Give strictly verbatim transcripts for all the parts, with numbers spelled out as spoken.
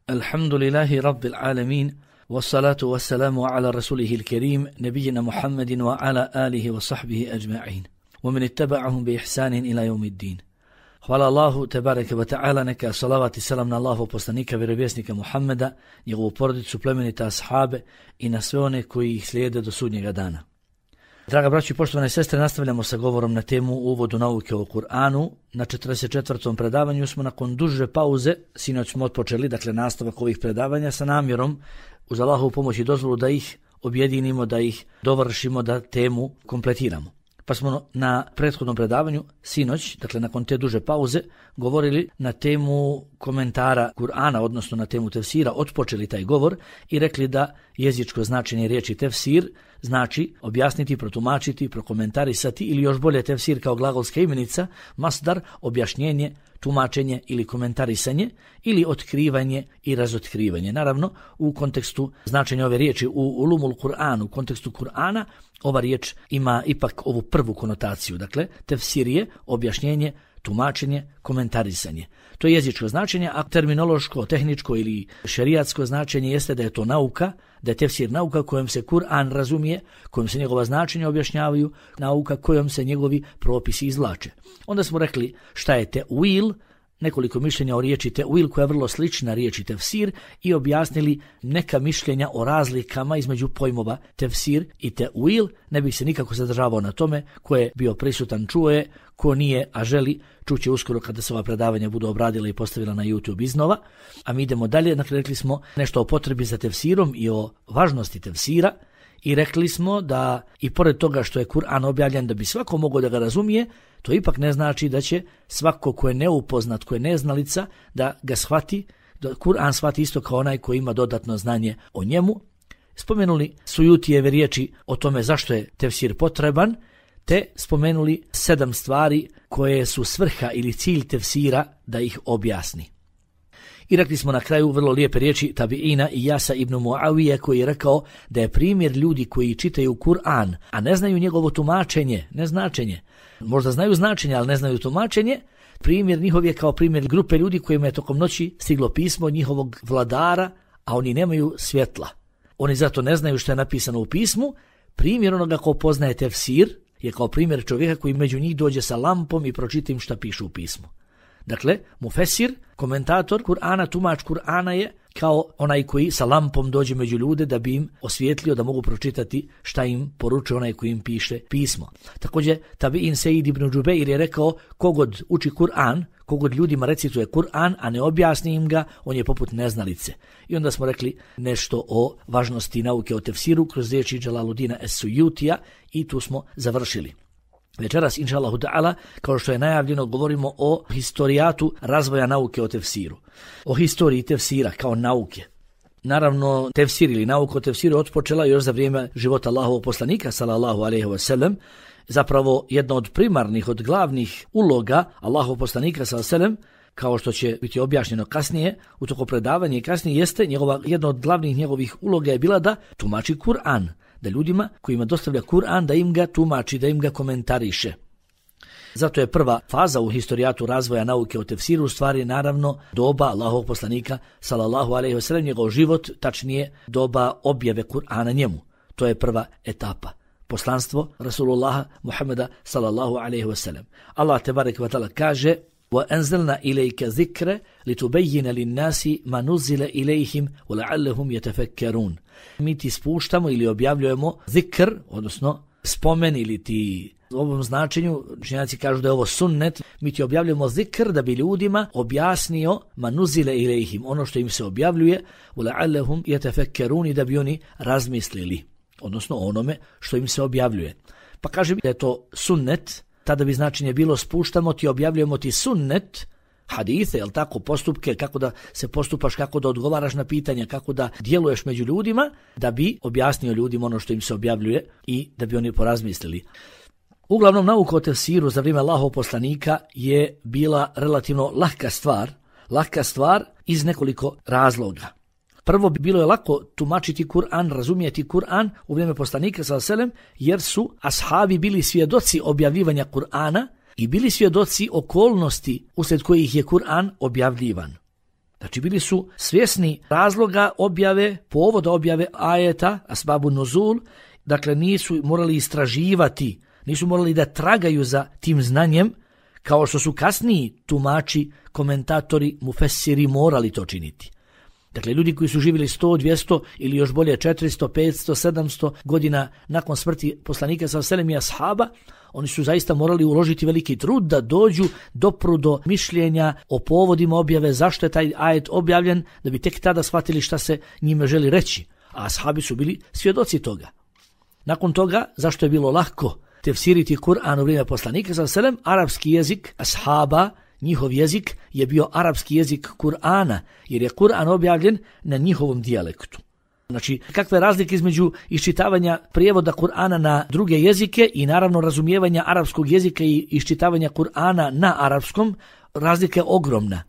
Alhamdulillahi rabbil alamin, wassalatu wassalamu ala rasulihil kerim, nebijina Muhammedin wa ala alihi wa sahbihi ajma'in, wa min ittaba'ahum bi ihsanin ila yawmiddin. Hvala Allahu tebareke wa ta'ala, neka salavat i salam na Allahu poslanika, vjerovjesnika Muhammeda, njegovu porodicu, plemenita ashabe i na sve one koji ih slijede do sudnjega dana. Draga braćo i poštovane sestre, nastavljamo sa govorom na temu uvodu nauke o Kur'anu. Na četrdeset četvrtom predavanju smo nakon duže pauze, sinoć smo otpočeli, dakle nastavak ovih predavanja sa namjerom uz Allahovu pomoć i dozvolu da ih objedinimo, da ih dovršimo, da temu kompletiramo. Pa smo na prethodnom predavanju sinoć, dakle nakon te duže pauze, govorili na temu komentara Kur'ana, odnosno na temu tefsira, otpočeli taj govor i rekli da jezičko značenje riječi tefsir znači objasniti, protumačiti, prokomentarisati ili još bolje tefsir kao glagolska imenica, masdar, objašnjenje, tumačenje ili komentarisanje ili otkrivanje i razotkrivanje. Naravno, u kontekstu značenja ove riječi, u ulumul Kur'an, u kontekstu Kur'ana, ova riječ ima ipak ovu prvu konotaciju. Dakle, tefsir je objašnjenje, tumačenje, komentarisanje. To je jezičko značenje, a terminološko, tehničko ili šerijatsko značenje jeste da je to nauka, da je tefsir nauka kojom se Kur'an razumije, kojom se njegova značenja objašnjavaju, nauka kojom se njegovi propisi izvlače. Onda smo rekli šta je te'wil, nekoliko mišljenja o riječi te'wil koja je vrlo slična riječi tefsir i objasnili neka mišljenja o razlikama između pojmova tefsir i te'wil. Ne bih se nikako zadržavao na tome, ko je bio prisutan čuo je, ko nije, a želi, čuće uskoro kada se ova predavanja budu obradila i postavila na YouTube iznova. A mi idemo dalje, dakle rekli smo nešto o potrebi za tefsirom i o važnosti tefsira i rekli smo da i pored toga što je Kur'an objavljen da bi svako mogao da ga razumije, to ipak ne znači da će svako ko je neupoznat, ko je neznalica, da ga shvati, da Kur'an shvati isto kao onaj koji ima dodatno znanje o njemu. Spomenuli Sujutijeve riječi o tome zašto je tefsir potreban, te spomenuli sedam stvari koje su svrha ili cilj tefsira da ih objasni. I rekli smo na kraju vrlo lijepe riječi tabiina Iyasa ibn Muavije koji je rekao da je primjer ljudi koji čitaju Kur'an, a ne znaju njegovo tumačenje, ne značenje. Možda znaju značenje, ali ne znaju tumačenje. Primjer njihov je kao primjer grupe ljudi kojima je tokom noći stiglo pismo od njihovog vladara, a oni nemaju svjetla. Oni zato ne znaju što je napisano u pismu. Primjer onoga ko poznaje tefsir je kao primjer čovjeka koji među njih dođe sa lampom i pročita im šta piše u pismu. Dakle, mufesir, komentator Kur'ana, tumač Kur'ana je kao onaj koji sa lampom dođe među ljude da bi im osvijetlio da mogu pročitati šta im poručuje onaj koji im piše pismo. Također, tabiin Sejid ibn Džubeir je rekao kogod uči Kur'an, kogod ljudima recituje Kur'an, a ne objasni im ga, on je poput neznalice. I onda smo rekli nešto o važnosti nauke o tefsiru kroz riječi Džalaludina Es-Sujutija i tu smo završili. Večeras, inša Allahu ta'ala, kao što je najavljeno, govorimo o historijatu razvoja nauke o tefsiru. O historiji tefsira kao nauke. Naravno, tefsir ili nauka o tefsiru otpočela još za vrijeme života Allahovog poslanika, sallallahu alejhi ve sellem. Zapravo, jedna od primarnih, od glavnih uloga Allahovog poslanika, sallallahu alejhi ve sellem, kao što će biti objašnjeno kasnije, u toko predavanja i kasnije jeste, njegova, jedna od glavnih njegovih uloga je bila da tumači Kur'an. Da ljudima kojima dostavlja Kur'an da im ga tumači, da im ga komentariše. Zato je prva faza u historijatu razvoja nauke o tefsiru u stvari naravno doba Allahovog poslanika sallallahu alejhi ve sellem, njegov život, tačnije doba objave Kur'ana njemu. To je prva etapa. Poslanstvo Rasulullaha Muhammeda sallallahu alejhi ve sellem. Allah tebareke ve taala kaže: وَأَنزَلْنَا إِلَيْكَ ذِكْرَ لِتُبَيِّنَ لِلنَّاسِ مَا نُزِّلَ إِلَيْهِمْ وَلَعَلَّهُمْ يَتَفَكَّرُونَ. Mi ti spuštamo ili objavljujemo zikr, odnosno spomen ili ti u ovom značenju, učenjaci kažu da je ovo sunnet, mi ti objavljujemo zikr da bi ljudima objasnio ma nuzile ilejhim, ono što im se objavljuje, وَلَعَلَّهُمْ يَتَفَكَّرُونَ, i da bi oni razmislili, odnosno onome što im se objavljuje. Pa kaže da je to sunnet, tada bi značenje bilo spuštamo ti, objavljujemo ti sunnet, hadise, jel tako, postupke, kako da se postupaš, kako da odgovaraš na pitanja, kako da djeluješ među ljudima, da bi objasnio ljudima ono što im se objavljuje i da bi oni porazmislili. Uglavnom, nauka o tefsiru za vrijeme Allahovog poslanika je bila relativno lahka stvar, lahka stvar iz nekoliko razloga. Prvo, bilo je lako tumačiti Kur'an, razumijeti Kur'an u vrijeme poslanika sallallahu alejhi ve sellem, jer su ashabi bili svjedoci objavljivanja Kur'ana i bili svjedoci okolnosti usred kojih je Kur'an objavljivan. Znači bili su svjesni razloga objave, povoda objave ajeta, asbabu nuzul, dakle nisu morali istraživati, nisu morali da tragaju za tim znanjem, kao što su kasniji tumači, komentatori, mufessiri morali to činiti. Dakle, ljudi koji su živjeli sto, dvjesto ili još bolje četiristo, petsto, sedamsto godina nakon smrti poslanika sallallahu alejhi ve sellem i ashaba, oni su zaista morali uložiti veliki trud da dođu dopru do mišljenja o povodima objave, zašto je taj ajet objavljen, da bi tek tada shvatili šta se njime želi reći. A ashabi su bili svjedoci toga. Nakon toga, zašto je bilo lako tefsiriti Kur'an u vrijeme poslanika sallallahu alejhi ve sellem, arapski jezik ashaba, njihov jezik je bio arapski jezik Kur'ana, jer je Kur'an objavljen na njihovom dijalektu. Znači, kakve razlike između iščitavanja prijevoda Kur'ana na druge jezike i naravno razumijevanja arapskog jezika i iščitavanja Kur'ana na arapskom, razlika je ogromna.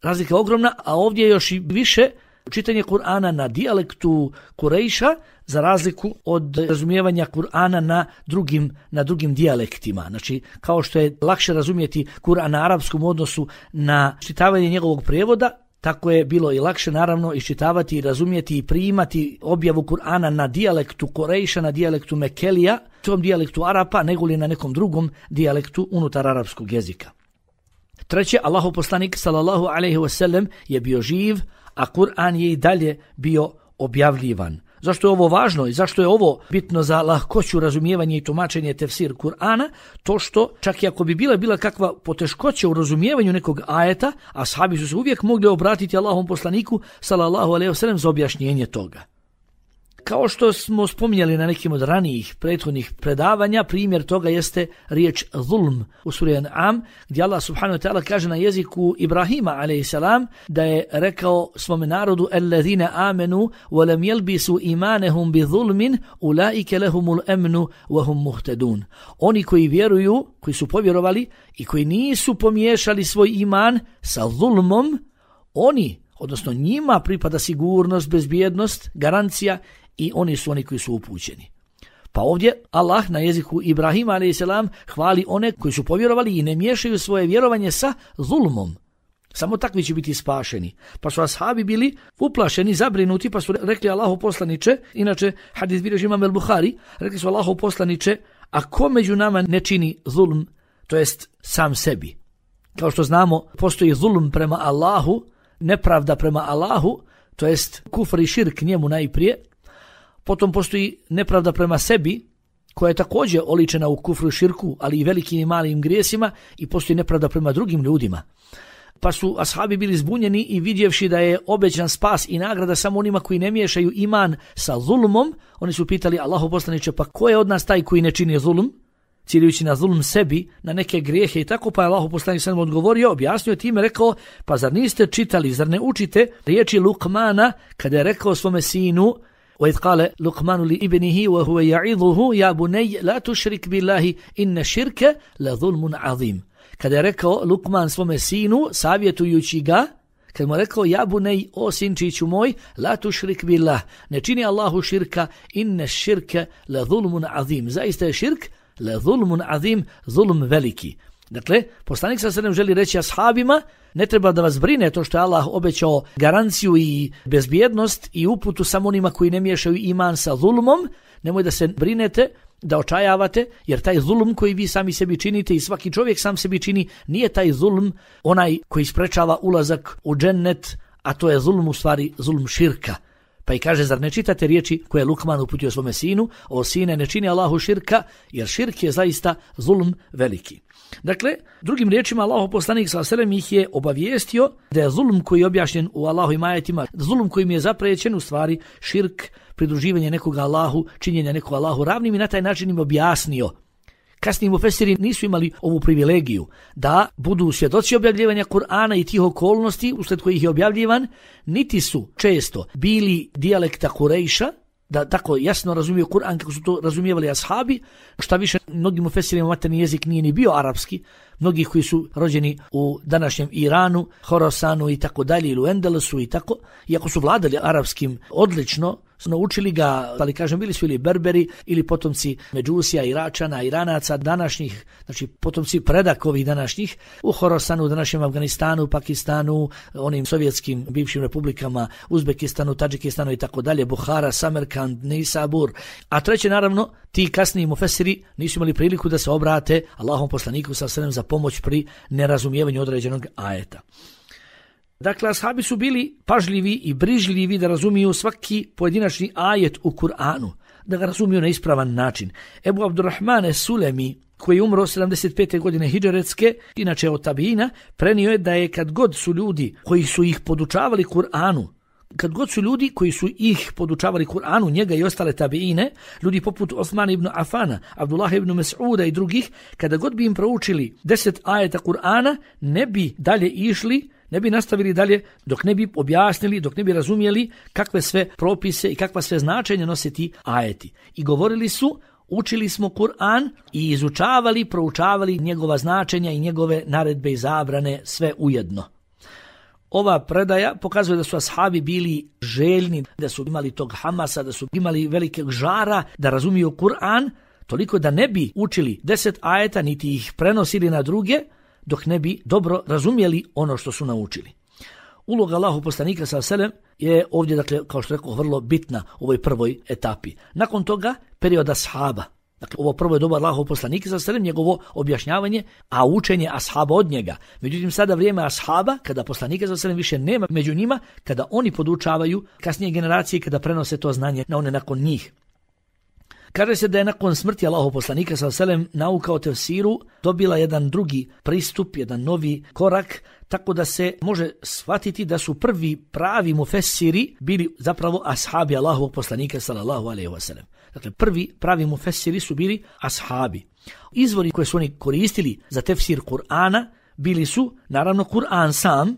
Razlika je ogromna, a ovdje je još i više čitanje Kur'ana na dijalektu Kurejša za razliku od razumijevanja Kur'ana na drugim, na drugim dijalektima. Znači, kao što je lakše razumjeti Kur'an na arapskom odnosu na čitavanje njegovog prijevoda, tako je bilo i lakše naravno iščitavati i razumjeti i primati objavu Kur'ana na dijalektu Kurejša, na dijalektu Mekelija, tom dijalektu Arapa, nego li na nekom drugom dijalektu unutar arapskog jezika. Treće, Allahov poslanik sallallahu alejhi ve sellem je bio živ, a Kur'an je i dalje bio objavljivan. Zašto je ovo važno i zašto je ovo bitno za lahkoću razumijevanja i tumačenje tefsir Kur'ana? To što čak i ako bi bila bila kakva poteškoća u razumijevanju nekog ajeta, ashabi su se uvijek mogli obratiti Allahovom poslaniku sallallahu alejhi ve sellem za objašnjenje toga. Kao što smo spominjali na nekim od ranijih prethodnih predavanja, primjer toga jeste riječ zulm u suri An'am, gdje Allah subhanahu wa ta'ala kaže na jeziku Ibrahima alejhi salam da je rekao svome narodu allazina amanu wa lam yalbisu imanahum bi zulmin ulaika lahumul amnu wa hum muhtadun. Oni koji vjeruju, koji su povjerovali i koji nisu pomiješali svoj iman sa zulmom, oni, odnosno njima pripada sigurnost, bezbjednost, garancija, i oni su oni koji su upućeni. Pa ovdje Allah na jeziku Ibrahima alejhi salam hvali one koji su povjerovali i ne miješaju svoje vjerovanje sa zulmom. Samo takvi će biti spašeni. Pa su ashabi bili uplašeni, zabrinuti, pa su rekli Allahu poslaniče, inače hadis bilježi imam el-Buhari, rekli su Allahu poslaniče, a ko među nama ne čini zulm, to jest sam sebi. Kao što znamo, postoji zulm prema Allahu, nepravda prema Allahu, to jest kufr i širk njemu najprije. Potom postoji nepravda prema sebi, koja je također oličena u kufru i širku, ali i velikim i malim grijesima, i postoji nepravda prema drugim ljudima. Pa su ashabi bili zbunjeni i vidjevši da je obećan spas i nagrada samo onima koji ne miješaju iman sa zulmom, oni su pitali Allahu poslaniče, pa ko je od nas taj koji ne čini zulm, ciljujući na zulm sebi, na neke grijehe i tako, pa je Allahu poslanik sam odgovorio, objasnio time, rekao, pa zar niste čitali, zar ne učite riječi Lukmana kada je rekao svome sinu, وَإِذْ قَالَ لُقْمَانُ لِإِبْنِهِ وَهُوَ يَعِظُهُ يَا بُنَيَّ لَا تُشْرِكْ بِاللَّهِ إِنَّ الشِّرْكَ لَظُلْمٌ عَظِيمٌ. Kada je rekao Lukman svome sinu, savjetujući ga, kad mu je rekao, ja bunej, o sinčiću moj, la tušrik billah, ne čini Allahu širka, inne širke la zulmun azim. Zaista je širk, la zulmun azim, zulm veliki. Dakle, poslanik sa sredem želi reći ashabima, ne treba da vas brine to što je Allah obećao garanciju i bezbjednost i uputu samo onima koji ne miješaju iman sa zulmom, nemoj da se brinete, da očajavate, jer taj zulm koji vi sami sebi činite i svaki čovjek sam sebi čini, nije taj zulm onaj koji sprečava ulazak u džennet, a to je zulm u stvari zulm širka. Pa i kaže, zar ne čitate riječi koje je Lukman uputio svome sinu, o sine, ne čini Allahu širka, jer širk je zaista zulm veliki. Dakle, drugim riječima, Allahov poslanik sallallahu alejhi ve sellem ih je obavijestio da je zulm koji je objašnjen u Allahovim ajetima, zulm kojim je zaprećen u stvari širk, pridruživanje nekoga Allahu, činjenje nekoga Allahu ravnim, i na taj način im objasnio. Kasniji mufesiri nisu imali ovu privilegiju da budu svjedoci objavljivanja Kur'ana i tih okolnosti usled kojih je objavljivan, niti su često bili dijalekta Kurejša, da tako jasno razumiju Kur'an kako su to razumijevali ashabi. Šta više, mnogim mufesirima materni jezik nije ni bio arapski, mnogi koji su rođeni u današnjem Iranu, Horasanu i tako dalje, ili u Endelusu i tako, iako su vladali arapskim odlično, naučili ga, ali kažem, bili su ili Berberi ili potomci Međusija, Iračana, Iranaca današnjih, znači potomci predakovih današnjih u Horasanu, u današnjem Afganistanu, Pakistanu, onim sovjetskim bivšim republikama, Uzbekistanu, Tadžikistanu i tako dalje, Buhara, Samarkand, Nisabur. A treće, naravno, ti kasniji mufesiri nisu imali priliku da se obrate Allahom poslaniku sallallahu alejhi ve sellem za pomoć pri nerazumijevanju određenog ajeta. Dakle, ashabi su bili pažljivi i brižljivi da razumiju svaki pojedinačni ajet u Kur'anu, da ga razumiju na ispravan način. Ebu Abdurrahman es-Sulemi, koji je umro sedamdeset pete godine hidžretske, inače od tabina, prenio je da je kad god su ljudi koji su ih podučavali Kur'anu, kad god su ljudi koji su ih podučavali Kur'anu, njega i ostale tabiine, ljudi poput Osmana ibn Afana, Abdullah ibn Mas'uda i drugih, kada god bi im proučili deset ajeta Kur'ana, ne bi dalje išli, ne bi nastavili dalje dok ne bi objasnili, dok ne bi razumjeli kakve sve propise i kakva sve značenja nose ti ajeti. I govorili su, učili smo Kur'an i izučavali, proučavali njegova značenja i njegove naredbe i zabrane sve ujedno. Ova predaja pokazuje da su ashabi bili željni, da su imali tog hamasa, da su imali velikog žara, da razumiju Kur'an, toliko da ne bi učili deset ajeta, niti ih prenosili na druge, dok ne bi dobro razumjeli ono što su naučili. Uloga Allahu poslanika sallallahu alejhi ve sellem je ovdje, dakle, kao što rekao, vrlo bitna u ovoj prvoj etapi. Nakon toga, period ashaba. Dakle, ovo prvo je doba Allahov poslanika sallallahu alejhi ve sellem, njegovo objašnjavanje, a učenje ashaba od njega. Međutim, sada vrijeme ashaba, kada poslanika sallallahu alejhi ve sellem više nema među njima, kada oni podučavaju kasnije generacije, kada prenose to znanje na one nakon njih. Kaže se da je nakon smrti Allahov poslanika sallallahu alejhi ve sellem nauka o tefsiru dobila jedan drugi pristup, jedan novi korak, tako da se može shvatiti da su prvi pravi mufessiri bili zapravo ashabi Allahovog poslanika sallallahu alejhi ve sellem. Dakle, prvi pravi mufessiri su bili ashabi. Izvori koje su oni koristili za tefsir Kur'ana bili su, naravno, Kur'an sam,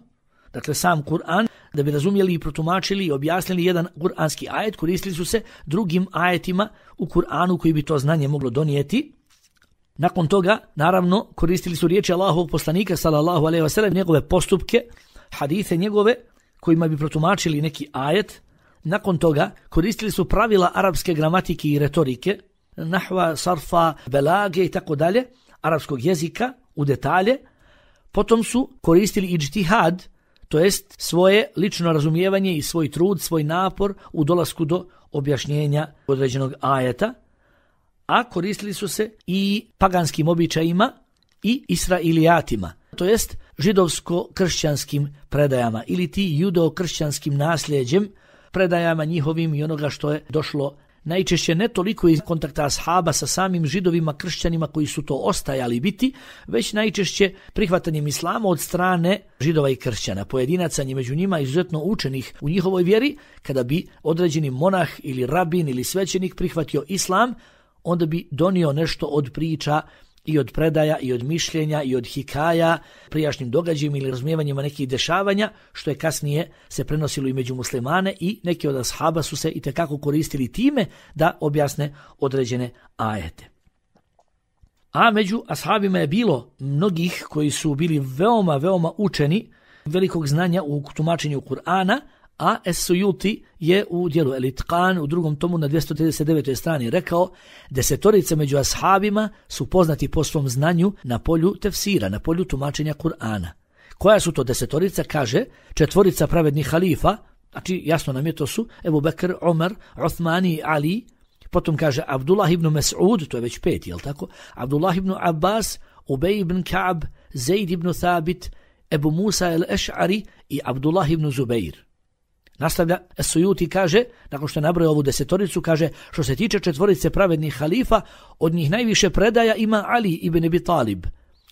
dakle sam Kur'an, da bi razumjeli i protumačili i objasnili jedan kur'anski ajet, koristili su se drugim ajetima u Kur'anu koji bi to znanje moglo donijeti. Nakon toga, naravno, koristili su riječi Allahovog poslanika sallallahu alejhi ve sellem, njegove postupke, hadise njegove kojima bi protumačili neki ajet. Nakon toga koristili su pravila arapske gramatike i retorike, nahva, sarfa, belage i tako dalje, arapskog jezika u detalje. Potom su koristili ijtihad, to jest svoje lično razumijevanje i svoj trud, svoj napor u dolasku do objašnjenja određenog ajeta, a koristili su se i paganskim običajima i israilijatima, to jest židovsko-kršćanskim predajama ili ti judo-kršćanskim nasljeđem, predajama njihovim i onoga što je došlo najčešće ne toliko iz kontakta ashaba sa samim židovima, kršćanima koji su to ostajali biti, već najčešće prihvatanjem islama od strane židova i kršćana, pojedinaca među njima izuzetno učenih u njihovoj vjeri. Kada bi određeni monah ili rabin ili svećenik prihvatio islam, onda bi donio nešto od priča i od predaja i od mišljenja i od hikaja, prijašnjim događajima ili razumijevanjima nekih dešavanja, što je kasnije se prenosilo i među muslimane, i neki od ashaba su se itekako koristili time da objasne određene ajete. A među ashabima je bilo mnogih koji su bili veoma, veoma učeni, velikog znanja u tumačenju Kur'ana, a Es-Sujuti je u dijelu El-Itqan u drugom tomu na dvjesto trideset devetoj strani rekao: desetorica među ashabima su poznati po svom znanju na polju tefsira, na polju tumačenja Kur'ana. Koja su to desetorica? Kaže, četvorica pravednih halifa, znači jasno nam je, to su Ebu Bekr, Omer, Uthman i Ali. Potom kaže Abdullah ibn Mas'ud, to je već peti, jel tako? Abdullah ibn Abbas, Ubej ibn Ka'b, Zaid ibn Thabit, Ebu Musa el-Eš'ari i Abdullah ibn Zubair. Nastavlja Es-Sujuti, kaže, nakon što je nabrojao ovu desetoricu, kaže, što se tiče četvorice pravednih halifa, od njih najviše predaja ima Ali ibn Abi Talib.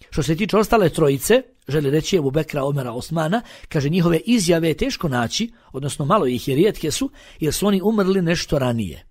Što se tiče ostale trojice, želi reći Ebu Bekra, Omera, Osmana, kaže, njihove izjave je teško naći, odnosno malo ih je, rijetke su, jer su oni umrli nešto ranije.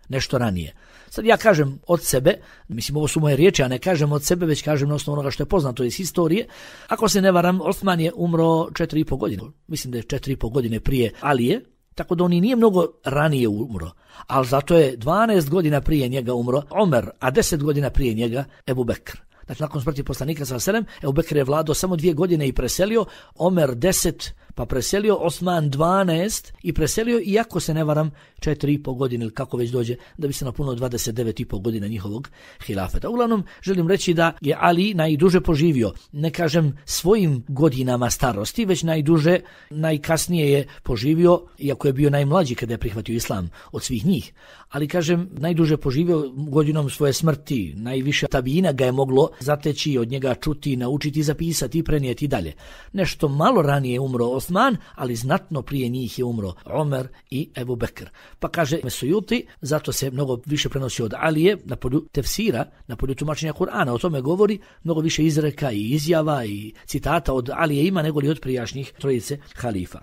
Nešto ranije. Sad ja kažem od sebe, mislim ovo su moje riječi, a ne kažem od sebe, već kažem na osnovu onoga što je poznato iz historije. Ako se ne varam, Osman je umro četiri i po godine. Mislim da je četiri i po godine prije Alije, tako da on i nije mnogo ranije umro. Ali zato je dvanaest godina prije njega umro Omer, a deset godina prije njega Ebu Bekr. Znači, nakon smrti poslanika sallallahu alejhi ve sellem, Ebu Bekr je vladao samo dvije godine i preselio, Omer deset, pa preselio Osman dvanaest i preselio, iako se ne varam, četiri i pol godine ili kako već dođe, da bi se napunilo dvadeset devet i pol godina njihovog hilafeta. Uglavnom, želim reći da je Ali najduže poživio, ne kažem svojim godinama starosti, već najduže, najkasnije je poživio, iako je bio najmlađi kada je prihvatio islam od svih njih. Ali kažem, najduže poživio godinom svoje smrti, najviše tabijina ga je moglo zateći, od njega čuti, naučiti, zapisati i prenijeti dalje. Nešto malo ranije je umro Osman, ali znatno prije njih je umro Omer i Ebu Bekr. Pa kaže Sujuti, zato se mnogo više prenosi od Alije na polju tefsira, na polju tumačenja Kur'ana. O tome govori mnogo više izreka i izjava i citata od Alije ima nego li od prijašnjih trojice halifa.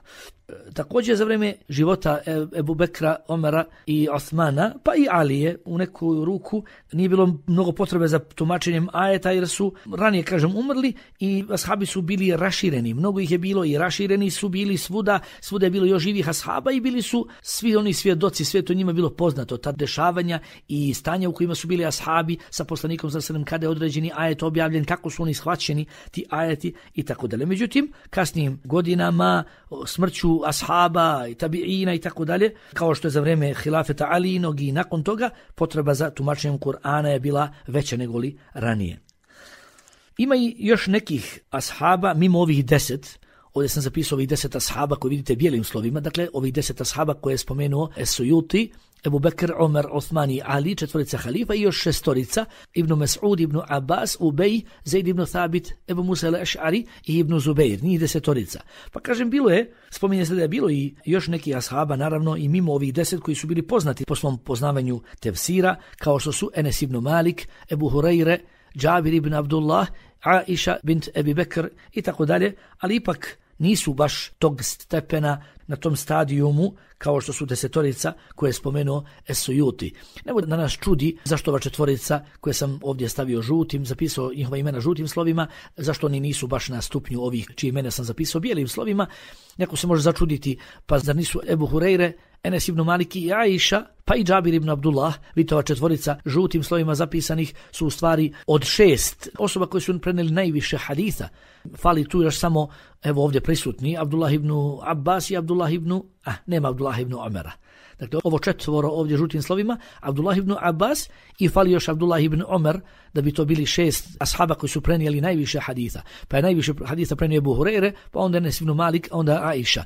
Također za vrijeme života Ebu Bekra, Omera i Osmana, pa i Alije u neku ruku nije bilo mnogo potrebe za tumačenjem ajeta jer su ranije, kažem, umrli i ashabi su bili rašireni. Mnogo ih je bilo i rašireni su bili svuda, svuda je bilo još živih ashaba i bili su svi oni svjedoci, sve to njima bilo poznato, ta dešavanja i stanja u kojima su bili ashabi sa poslanikom sallallahu alejhi ve sellem kada je određeni ajet objavljen, kako su oni shvaćeni ti ajeti i tako dalje. Međutim, kasnijim godinama, smrću ashaba i tabiina i tako dalje, kao što je za vrijeme hilafeta Alijinog i nakon toga, potreba za tumačenjem Kur'ana je bila veća nego li ranije. Ima i još nekih ashaba mimo ovih deset. Ovdje sam zapisao ovih deset ashaba koji vidite bijelim slovima, dakle ovih deset ashaba koje je spomenuo Sujuti, Ebu Bekr, Omer, Osman i Ali, četvorica halifa i još šestorica, Ibn Mas'ud, Ibn Abbas, Ubej, Zaid ibn Thabit, Ebu Musa al-Ash'ari i Ibn Zubeir, njih desetorica. Pa kažem, bilo je, spominje se da je bilo i još neki ashaba, naravno i mimo ovih deset koji su bili poznati po svom poznavanju tefsira, kao što su Enes ibn Malik, Ebu Hurajre, Džabir ibn Abdullah, Aisha bint Ebi Bekr i tako dalje, ali ipak nisu baš tog stepena na tom stadijumu kao što su desetorica koje je spomenuo Sujuti. Nego da nas čudi zašto ova četvorica koje sam ovdje stavio žutim, zapisao njihova imena žutim slovima, zašto oni nisu baš na stupnju ovih čije imena sam zapisao bijelim slovima. Neko se može začuditi, pa zar nisu Ebu Hurajre, Enes ibn Malik i Aisha, pa i Džabir ibn Abdullah, vidite ova četvorica žutim slovima zapisanih su u stvari od šest osoba koji su prenijeli najviše haditha. Fali tu još samo, evo ovdje prisutni, Abdullah ibn Abbas i Abdullah ibn, ah, nema Abdullah ibn Omera. Dakle, ovo četvoro ovdje žutim slovima, Abdullah ibn Abbas i fali još Abdullah ibn Omer, da bi to bili šest ashaba koji su prenijeli najviše haditha. Pa je najviše haditha prenio Ebu Hurajre, pa onda Enes ibn Malik, onda Aisha.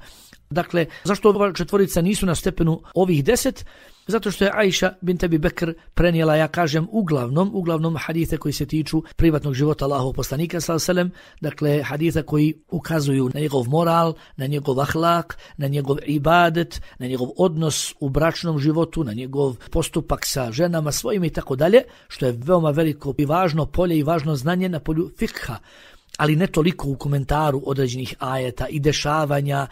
Dakle, zašto ova četvorica nisu na stepenu ovih deset? Zato što je Aisha bint Ebi Bekr prenijela, ja kažem, uglavnom, uglavnom hadithe koji se tiču privatnog života Allahovog poslanika sallallahu alejhi ve sellem, dakle haditha koji ukazuju na njegov moral, na njegov ahlak, na njegov ibadet, na njegov odnos u bračnom životu, na njegov postupak sa ženama svojim i tako dalje, što je veoma veliko i važno polje i važno znanje na polju fikha. Ali ne toliko u komentaru određenih ajeta i dešavanja.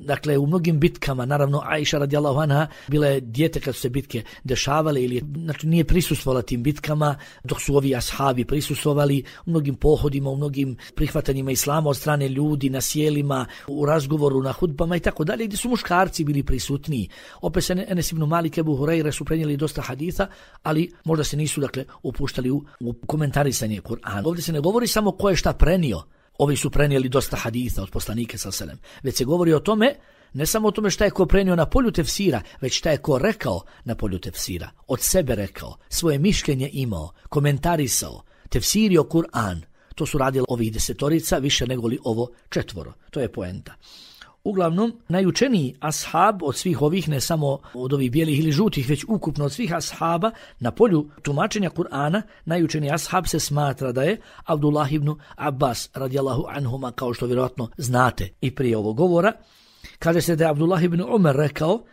Dakle, u mnogim bitkama, naravno Aisha radijallahu anha bila je dijete kad su se bitke dešavale ili znači nije prisustvovala tim bitkama, dok su ovi ashabi prisustvovali u mnogim pohodima, u mnogim prihvatanjima islama od strane ljudi na sjelima, u razgovoru na hudbama i tako dalje, gdje su muškarci bili prisutniji. Opet se Enes ibn Malik, Ebu Hurajre su prenijeli dosta haditha, ali možda se nisu dakle upuštali u, u komentarisanje Kur'ana. Ovdje se ne govori samo ko je šta prenio. Ovi su prenijeli dosta haditha od poslanika sallallahu alejhi ve sellem. Već se govori o tome, ne samo o tome šta je ko prenio na polju tefsira, već šta je ko rekao na polju tefsira. Od sebe rekao, svoje mišljenje imao, komentarisao, tefsirio Kur'an. To su radili ovih desetorica više nego li ovo četvoro. To je poenta. Uglavnom, najučeniji ashab od svih ovih, ne samo od ovih bijelih ili žutih, već ukupno od svih ashaba na polju tumačenja Kur'ana, najučeniji ashab se smatra da je Abdullah ibn Abbas radijallahu anhuma, kao što vjerojatno znate i prije ovog govora. Kaže se da je Abdullah ibn Umar rekao,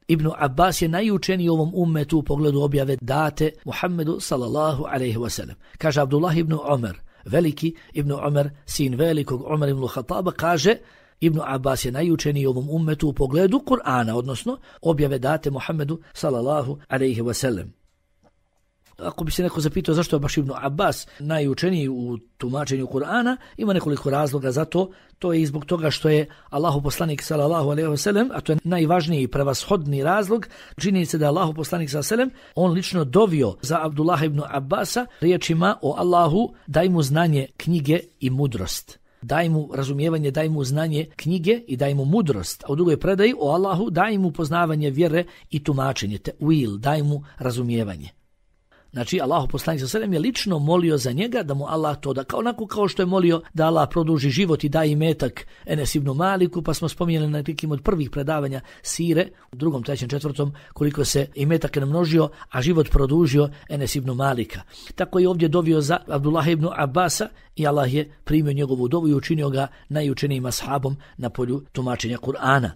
Ibn Abbas je najučeniji u ovom ummetu u pogledu objave date Muhammedu sallallahu alejhi ve sellem. Kaže Abdullah ibn Umar, veliki Ibn Umar, sin velikog Umar ibn Khattaba, kaže Ibn Abbas je najučeniji u ovom ummetu u pogledu Kur'ana, odnosno objave date Muhammedu sallallahu alejhi ve sellem. Ako bi se neko zapitao zašto je baš Ibn Abbas najučeniji u tumačenju Kur'ana, ima nekoliko razloga za to. To je i zbog toga što je Allahu poslanik sallallahu alejhi ve sellem, a to je najvažniji i prevashodni razlog, čini se da je Allahu poslanik sallallahu alejhi ve sellem on lično dovio za Abdullah ibn Abbasa riječima o Allahu daj mu znanje knjige i mudrost. daj mu razumijevanje, daj mu znanje knjige i daj mu mudrost. A u drugoj predaji o Allahu daj mu poznavanje vjere i tumačenje, te will, daj mu razumijevanje. Znači, Allahu poslanik sallallahu alejhi ve sellem je lično molio za njega da mu Allah to da, kao onako kao što je molio da Allah produži život i da imetak Enes ibn Maliku, pa smo spominjali na nekim od prvih predavanja sire, u drugom, trećem, četvrtom, koliko se imetak namnožio, a život produžio Enes ibn Malika. Tako je ovdje dovio za Abdullah ibn Abasa i Allah je primio njegovu dovu i učinio ga najučenijim ashabom na polju tumačenja Kur'ana.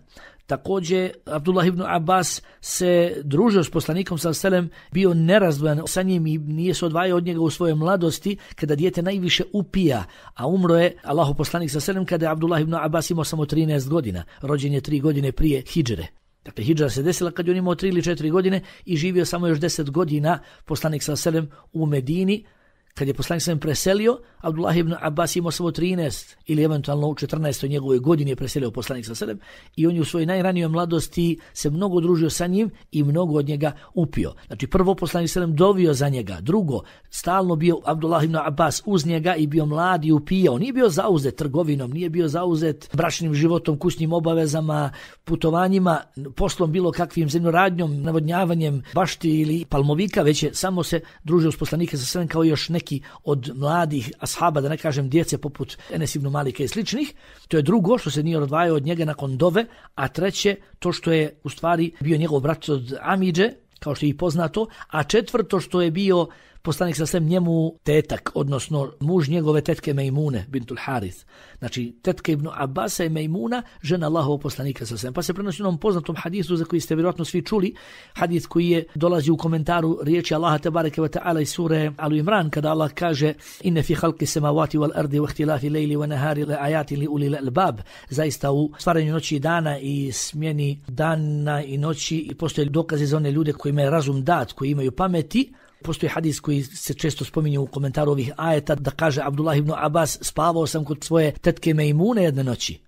Također, Abdullah ibn Abbas se družio s poslanikom sallallahu alejhi ve sellem, bio nerazdvojan sa njim i nije se odvajao od njega u svojoj mladosti, kada dijete najviše upija, a umro je Allahu poslanik sallallahu alejhi ve sellem kada je Abdullah ibn Abbas imao samo trinaest godina, rođen je tri godine prije hidžre. Dakle, hidžra se desila kad je on imao tri ili četiri godine i živio samo još deset godina poslanik sallallahu alejhi ve sellem u Medini. Kad je poslanik sallallahu alejhi ve sellem preselio, Abdullah ibn Abbas imao samo trinaest ili eventualno u četrnaestoj njegovoj godini je preselio poslanik sallallahu alejhi ve sellem i on je u svojoj najranijoj mladosti se mnogo družio sa njim i mnogo od njega upio. Znači, prvo poslanik sallallahu alejhi ve sellem dovio za njega, drugo, stalno bio Abdullah ibn Abbas uz njega i bio mlad i upijao. Nije bio zauzet trgovinom, nije bio zauzet bračnim životom, kućnim obavezama, putovanjima, poslom bilo kakvim zemljoradnjom, navodnjavanjem bašti ili palmovika, već je samo se družio s poslanikom sallallahu alejhi ve sellem kao još neki od mladih ashaba, da ne kažem djece poput Enes ibn Malika i sličnih. To je drugo, što se nije odvajao od njega nakon dove, a treće, to što je u stvari bio njegov brat od Amidže, kao što je i poznato, a četvrto, što je bio poslanik sallallahu alejhi ve sellem njemu tetak, odnosno muž njegove tetke Mejmune bintul Harith. Znači, tetka ibn Abasa je Mejmuna, žena Allahovog poslanika sallallahu alejhi ve sellem. Pa se prenosi u onom poznatom hadisu za koji ste vjerojatno svi čuli, hadis koji je dolazi u komentaru riječi Allaha tebareke ve taala iz sure Al Imran, kada Allah kaže: "Inne fi halqi samawati wal ardi wa ihtilafi lejli wa nahari la ayatin li ulil albab." Zaista u stvaranju noći i dana i smjeni dana i noći i postoje dokazi za one ljude koji imaju razum dat, koji imaju pameti. Postoji hadis koji se često spominje u komentaru ovih ajeta, da kaže Abdullah ibn Abbas: spavao sam kod svoje tetke Mejmune jedne noći.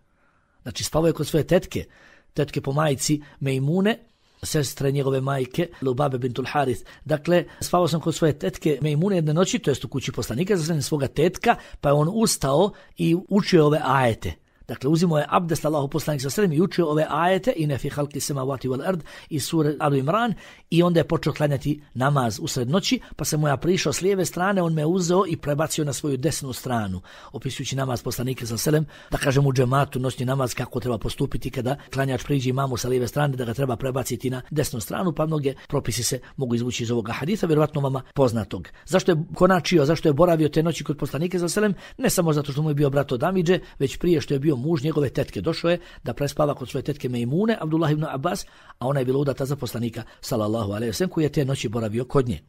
Znači, spavao je kod svoje tetke, tetke po majici Mejmune, sestre njegove majke Lubabe bintul Harith. Dakle, spavao sam kod svoje tetke Mejmune jedne noći, to jest u kući poslanika, za svoga tetka, pa je on ustao i učio ove ajete. Dakle, uzimao je abdest Allahu poslanik sallallahu alejhi ve sellem i učio ove ajete Inne fi halqi samawati wal ard iz sure Al Imran i onda je počeo klanjati namaz usred noći, pa se mu ja prišao s lijeve strane, on me uzeo i prebacio na svoju desnu stranu, opisujući namaz poslanika sallallahu alejhi ve sellem, da kažem u džematu noćni namaz kako treba postupiti kada klanjač priđe imamu sa lijeve strane, da ga treba prebaciti na desnu stranu, pa mnoge propisi se mogu izvući iz ovoga hadisa, vjerovatno vama poznatog. Zašto je konačio, zašto je boravio te noći kod poslanika sallallahu alejhi ve sellem? Ne samo zato što mu je bio brat od Amidže, već prije što je bio muž njegove tetke. Došao je da prespava kod svoje tetke Mejmune, Abdullah ibn Abbas, a ona je bila udata za poslanika sallallahu alejhi ve sellem, koji je te noći boravio kod nje.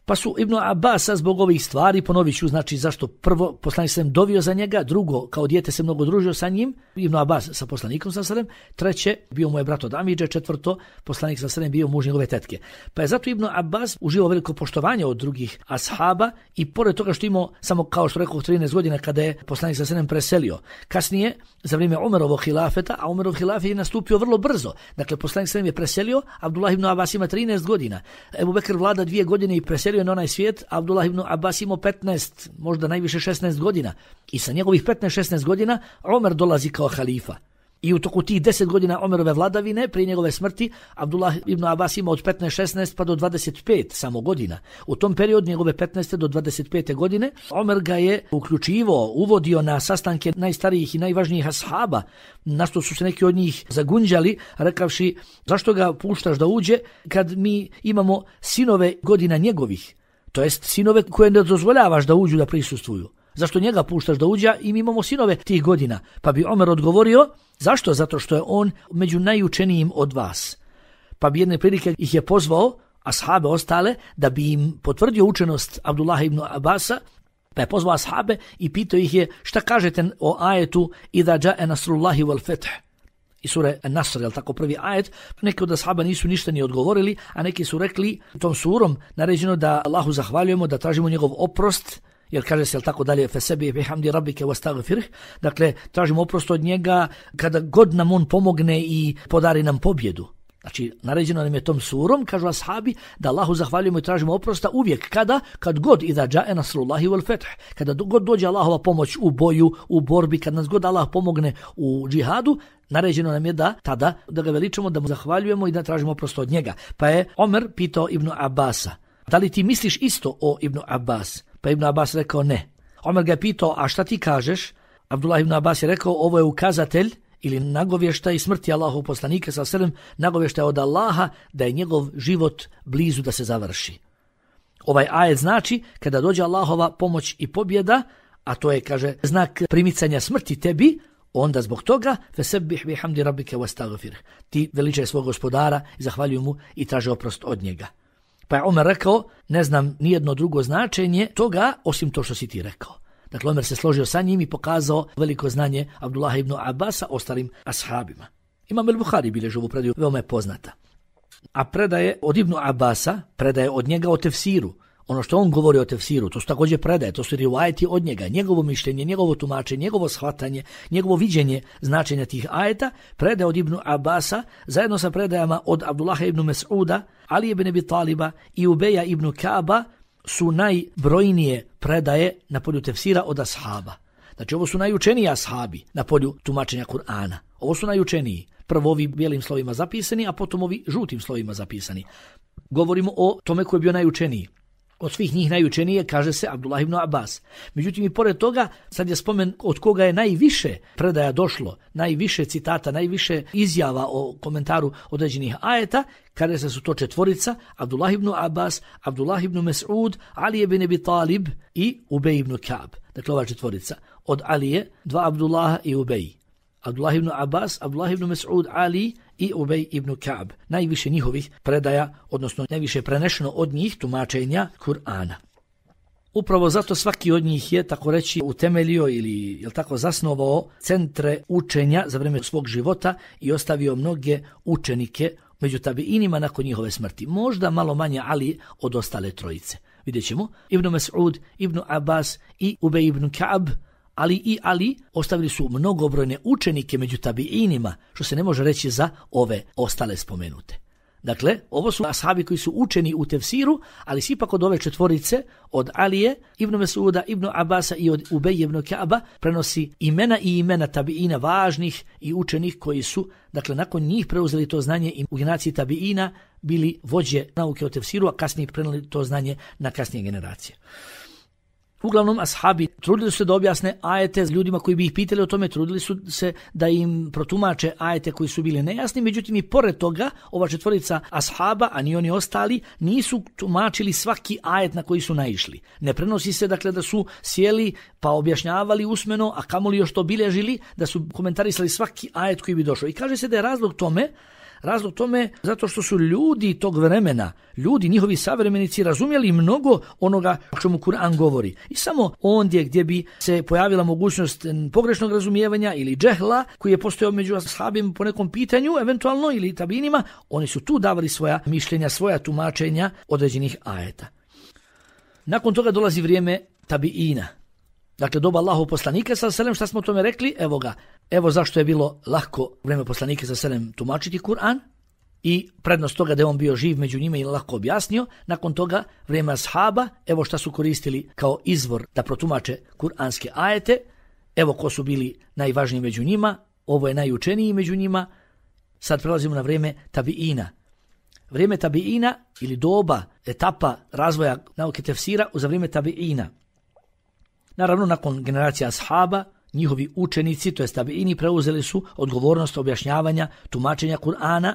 Pa su Ibn Abbasa zbog ovih stvari, ponovit ću, znači zašto prvo poslanik sallallahu alejhi ve sellem dovio za njega, drugo, kao dijete se mnogo družio sa njim, Ibn Abbas sa poslanikom sallallahu alejhi ve sellem, treće, bio mu je brat od Amidže, četvrto, poslanik sallallahu alejhi ve sellem bio muž njegove tetke. Pa je zato Ibn Abbas uživao veliko poštovanje od drugih ashaba i pored toga što imao samo, kao što rekao, trinaest godina kada je poslanik sallallahu alejhi ve sellem preselio. Kasnije, za vrijeme Umerovog hilafeta, a Umerov hilafet je nastupio vrlo brzo. Dakle, poslanik sallallahu alejhi ve sellem je preselio, Abdullah ibn Abbas ima trinaest godina. Ebu Bekr vlada dvije godine i preselio na onaj svijet, Abdullah ibn Abbas imao petnaest, možda najviše šesnaest godina. I sa njegovih petnaest šesnaest godina Omer dolazi kao halifa. I u toku tih deset godina Omerove vladavine, prije njegove smrti, Abdullah ibn Abbas ima od petnaest šesnaest pa do dvadeset pet samo godina. U tom periodu njegove petnaeste do dvadeset pete godine Omer ga je uključivo, uvodio na sastanke najstarijih i najvažnijih ashaba, na što su se neki od njih zagunđali, rekavši: zašto ga puštaš da uđe kad mi imamo sinove godina njegovih, to jest sinove koje ne dozvoljavaš da uđu da prisustvuju. Zašto njega puštaš da uđe i mi imamo sinove tih godina? Pa bi Omer odgovorio: zašto? Zato što je on među najučenijim od vas. Pa bi jedne prilike ih je pozvao, ashabe ostale, da bi im potvrdio učenost Abdullah ibn Abbasa, pa je pozvao ashabe i pitao ih je: šta kažete o ajetu Iza džae nasrullahi wal feth? I sure An-Nasr, je tako prvi ajet? Neki od ashaba nisu ništa ni odgovorili, a neki su rekli tom surom naređeno da Allahu zahvaljujemo, da tražimo njegov oprost, jer kaže se, jel tako dalje, fesebi bihamdi rabbike wastaghfirh, dakle tražimo oprost od njega kada god nam on pomogne i podari nam pobjedu. Znači, naređeno nam je tom surom, kažu ashabi, da Allahu zahvaljujemo i tražimo oprosta uvijek. Kada? Kad god idha džae nasrullahi wal fath. Kada god dođe Allahova pomoć u boju, u borbi, kad nas god Allah pomogne u džihadu, naređeno nam je da tada da ga veličamo, da mu zahvaljujemo i da tražimo oprosta od njega. Pa je Omer pitao Ibnu Abasa, da li ti misliš isto o Ibnu Abbas? Pa Ibnu Abbas rekao ne. Omer ga je pitao, a šta ti kažeš? Abdullah ibn Abbas je rekao, ovo je ukazatelj ili nagovještaj smrti Allahov poslanika sallallahu alejhi ve sellem, nagovještaj od Allaha da je njegov život blizu da se završi. Ovaj ajet znači kada dođe Allahova pomoć i pobjeda, a to je, kaže, znak primicanja smrti tebi, onda zbog toga fesebbih bihamdi rabbike wastaghfir. Ti veličaj svog gospodara i zahvaljuj mu i traži oprost od njega. Pa je Omer rekao, ne znam nijedno drugo značenje toga osim to što si ti rekao. Dakle, Omer se složio sa njim i pokazao veliko znanje Abdullah ibn Abbasa ostalim ashabima. Imam el-Buhari bilježi ovu predaju, veoma je poznata. A predaje od Ibnu Abbasa, predaje od njega o tefsiru. Ono što on govori o tefsiru, to su također predaje, to su rivajeti od njega, njegovo mišljenje, njegovo tumačenje, njegovo shvatanje, njegovo viđenje značenja tih ajeta, predaje od Ibnu Abbasa, zajedno sa predajama od Abdullaha ibn Mes'uda, Ali ibn Abi Taliba i Ubeja ibn Kaba, su najbrojnije predaje na polju tefsira od ashaba. Znači, ovo su najučeniji ashabi na polju tumačenja Kur'ana. Ovo su najučeniji. Prvo ovi bijelim slovima zapisani, a potom ovi žutim slovima zapisani. Govorimo o tome koji je bio najučeniji. Od svih njih najučenije kaže se Abdullah ibn Abbas. Međutim, i pored toga, sad je spomen od koga je najviše predaja došlo, najviše citata, najviše izjava o komentaru određenih ajeta, kada se su to četvorica, Abdullah ibn Abbas, Abdullah ibn Mes'ud, Ali ibn Abi Talib i Ubej ibn Ka'b. Dakle, ova četvorica. Od Alije, dva Abdullaha i Ubej. Abdullah ibn Abbas, Abdullah ibn Mes'ud, Ali i Ubej ibn Ka'b. Najviše njihovih predaja, odnosno najviše prenešeno od njih tumačenja Kur'ana. Upravo zato svaki od njih je, tako reći, utemeljio ili je tako zasnovao centre učenja za vrijeme svog života i ostavio mnoge učenike među tabiinima nakon njihove smrti. Možda malo manje Ali od ostale trojice. Vidjet ćemo, Ibn Mes'ud, Ibn Abbas i Ubej ibn Ka'b, Ali i Ali ostavili su mnogobrojne učenike među tabiinima, što se ne može reći za ove ostale spomenute. Dakle, ovo su ashabi koji su učeni u tefsiru, ali ipak od ove četvorice, od Alije, Ibn Mes'uda, Ibn Abasa i od Ubej ibn Ka'ba, prenosi imena i imena tabiina važnih i učenih koji su, dakle, nakon njih preuzeli to znanje i u generaciji tabiina bili vođe nauke o tefsiru, a kasnije prenijeli to znanje na kasnije generacije. Uglavnom, ashabi trudili su se da objasne ajete s ljudima koji bi ih pitali o tome, trudili su se da im protumače ajete koji su bili nejasni, međutim i pored toga, ova četvorica ashaba, a ni oni ostali, nisu tumačili svaki ajet na koji su naišli. Ne prenosi se, dakle, da su sjeli pa objašnjavali usmeno, a kamoli još to bilježili, da su komentarisali svaki ajet koji bi došao. I kaže se da je razlog tome, Razlog tome zato što su ljudi tog vremena, ljudi, njihovi savremenici razumjeli mnogo onoga o čemu Kur'an govori. I samo ondje gdje bi se pojavila mogućnost pogrešnog razumijevanja ili džehla koji je postojao među ashabima po nekom pitanju, eventualno ili tabinima, oni su tu davali svoja mišljenja, svoja tumačenja određenih ajeta. Nakon toga dolazi vrijeme tabiina. Dakle, doba Allahov poslanika sallallahu alejhi ve sellem, šta smo o tome rekli? Evo ga. Evo zašto je bilo lahko vrijeme poslanika sallallahu alejhi ve sellem tumačiti Kur'an i prednost toga da je on bio živ među njima i lako objasnio. Nakon toga vrijeme ashaba, evo šta su koristili kao izvor da protumače kuranske ajete. Evo ko su bili najvažniji među njima, ovo je najučeniji među njima. Sad prelazimo na vrijeme tabiina. Vrijeme tabiina ili doba, etapa razvoja nauke tefsira za vrijeme tabiina. Naravno, nakon generacija ashaba, njihovi učenici, to jest tabiini, preuzeli su odgovornost objašnjavanja, tumačenja Kur'ana.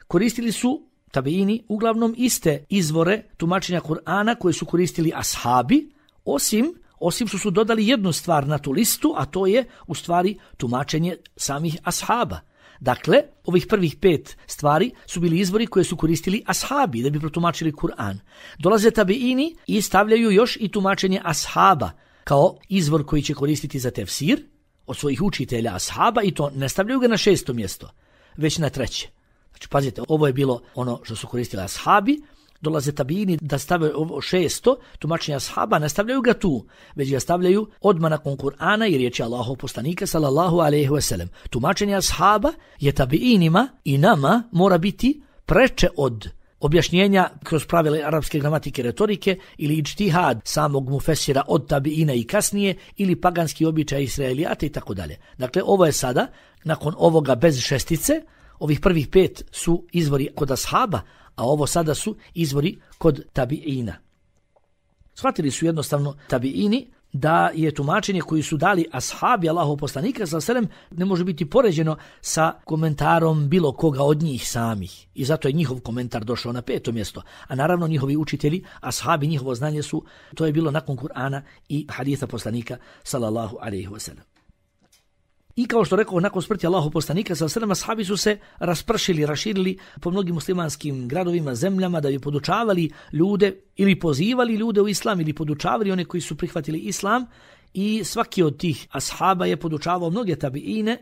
Koristili su tabiini uglavnom iste izvore tumačenja Kur'ana koje su koristili ashabi, osim, osim što su dodali jednu stvar na tu listu, a to je u stvari tumačenje samih ashaba. Dakle, ovih prvih pet stvari su bili izvori koje su koristili ashabi da bi protumačili Kur'an. Dolaze tabiini i stavljaju još i tumačenje ashaba kao izvor koji će koristiti za tefsir od svojih učitelja ashaba i to ne stavljaju ga na šesto mjesto, već na treće. Znači, pazite, ovo je bilo ono što su koristili ashabi, dolaze tabini da stave ovo šesto, tumačenja ashaba, ne stavljaju ga tu, već ga stavljaju odmah nakon Kur'ana i riječi Allahov poslanika sallallahu alejhi ve sellem. Tumačenje ashaba je tabiinima i nama mora biti preče od objašnjenja kroz pravila arapske gramatike, retorike ili iđtihad samog mufesira od tabiina i kasnije ili paganski običaj Israelijata i tako dalje. Dakle, ovo je sada, nakon ovoga bez šestice, ovih prvih pet su izvori kod ashaba, a ovo sada su izvori kod tabiina. Shvatili su jednostavno tabiini da je tumačenje koji su dali ashabi Allahov poslanika sallallahu alejhi ve sellem ne može biti poređeno sa komentarom bilo koga od njih samih. I zato je njihov komentar došao na peto mjesto. A naravno njihovi učitelji, ashabi, njihovo znanje su, to je bilo nakon Kur'ana i hadisa poslanika sallallahu alejhi ve sellem. I kao što rekao, nakon smrti Allahov poslanika sallallahu alejhi ve sellem, ashabi su se raspršili, raširili po mnogim muslimanskim gradovima, zemljama da bi podučavali ljude ili pozivali ljude u islam ili podučavali one koji su prihvatili islam, i svaki od tih ashaba je podučavao mnoge tabiine.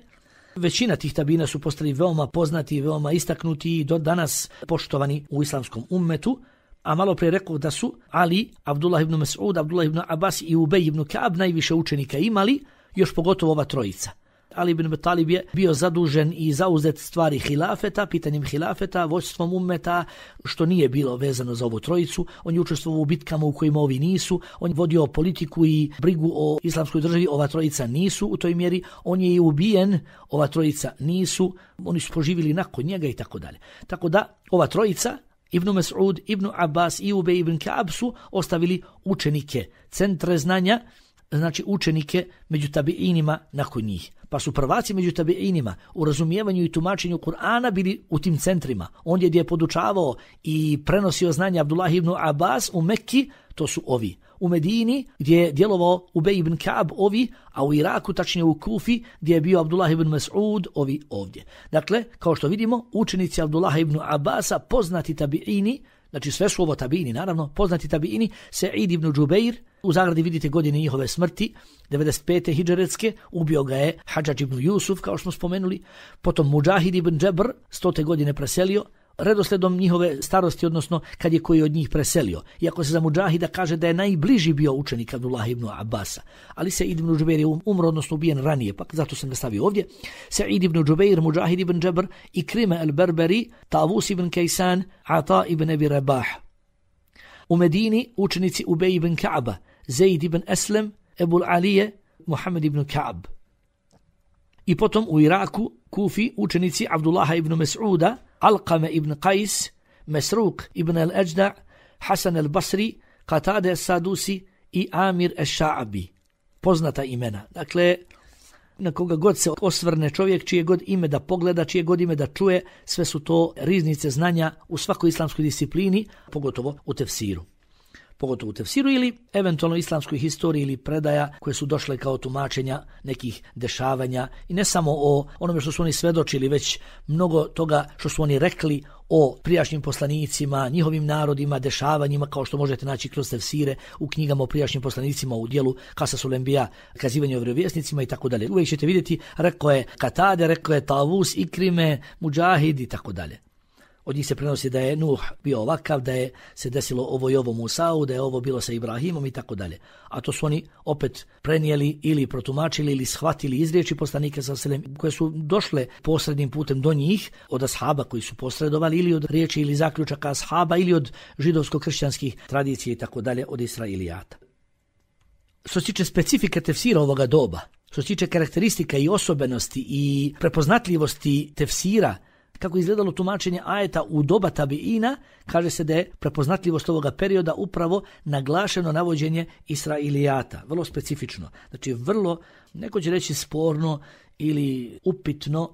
Većina tih tabiina su postali veoma poznati, veoma istaknuti i do danas poštovani u islamskom ummetu. A malo prije rekao da su Ali, Abdullah ibn Mas'ud, Abdullah ibn Abbas i Ubej ibn Ka'ab najviše učenika imali, još pogotovo ova trojica. Ali ibn Abi Talib je bio zadužen i zauzet stvari hilafeta, pitanjem hilafeta, vođstvom ummeta, što nije bilo vezano za ovu trojicu. On je učestvovao u bitkama u kojima ovi nisu, on je vodio politiku i brigu o islamskoj državi, ova trojica nisu u toj mjeri, on je i ubijen, ova trojica nisu, oni su poživili nakon njega i tako dalje. Tako da ova trojica, Ibn Mas'ud, Ibn Abbas i Ubej ibn Ka'ab, su ostavili učenike, centre znanja, znači učenike među tabiinima nakon njih. Pa su prvaci među tabiinima u razumijevanju i tumačenju Kur'ana bili u tim centrima. On je gdje je podučavao i prenosio znanje Abdullah ibn Abbas u Mekki, to su ovi. U Medini gdje je djelovao Ubej ibn Ka'ab, ovi, a u Iraku, tačnije u Kufi, gdje je bio Abdullah ibn Mas'ud, ovi ovdje. Dakle, kao što vidimo, učenici Abdullah ibn Abbasa, poznati tabiini, znači sve su ovo tabiini, naravno, poznati tabiini, Sa'id ibn Džubeir, u zagradi vidite godine njihove smrti, devedeset pete hidžretske, ubio ga je Hadžadž ibn Jusuf, kao što smo spomenuli, potom Mudžahid ibn Džebr, stote godine preselio, redosledom njihove starosti, odnosno kad je koji od njih preselio. Iako se za Mudžahida kaže da je najbliži bio učenik Abdullah ibn Abbasa, ali Sa'id ibn Džubeir je umro, odnosno ubijen ranije, pa zato sam ga stavio ovdje. Sa'id ibn Džubeir, Mudžahid ibn Džebr, Ikrima al-Berberi, Tavus ibn Kaysan, Ata ibn Abi Rabah. U Medini učenici Ubej ibn Ka'aba, Zaid ibn Aslem, Ebul Alije, Muhammed ibn Ka'ab. I potom u Iraku, Kufi, učenici Abdullaha ibn Mas'uda, Alqame ibn Qais, Mesruk ibn al-Ajda', Hasan al-Basri, Qatade al-Sadusi i Amir al-Sha'abi. Poznata imena. Dakle, na koga god se osvrne čovjek, čije god ime da pogleda, čije god ime da čuje, sve su to riznice znanja u svakoj islamskoj disciplini, pogotovo u tefsiru. Pogotovo u tefsiru ili eventualno islamskoj historiji ili predaja koje su došle kao tumačenja nekih dešavanja i ne samo o onome što su oni svedočili, već mnogo toga što su oni rekli o prijašnjim poslanicima, njihovim narodima, dešavanjima, kao što možete naći kroz tefsire u knjigama o prijašnjim poslanicima u dijelu Kasasul Enbija, kazivanje o vjerovjesnicima i tako dalje. Uvijek ćete vidjeti, rekao je Katade, rekao je Tavus, Ikrime, Mudžahid i tako dalje. Od njih se prenosi da je Nuh bio ovakav, da je se desilo ovo i ovo Musau, da je ovo bilo sa Ibrahimom i tako dalje. A to su oni opet prenijeli ili protumačili ili shvatili iz riječi poslanika sallallahu alejhi ve sellem koje su došle posrednim putem do njih od ashaba koji su posredovali ili od riječi ili zaključaka ashaba ili od židovsko-kršćanskih tradicija i tako dalje od Israelijata. Što se tiče specifike tefsira ovoga doba, što se tiče karakteristika i osobenosti i prepoznatljivosti tefsira, kako izgledalo tumačenje ajeta u doba tabiina, kaže se da je prepoznatljivost ovoga perioda upravo naglašeno navođenje Israelijata, vrlo specifično. Znači vrlo, neko će reći sporno ili upitno,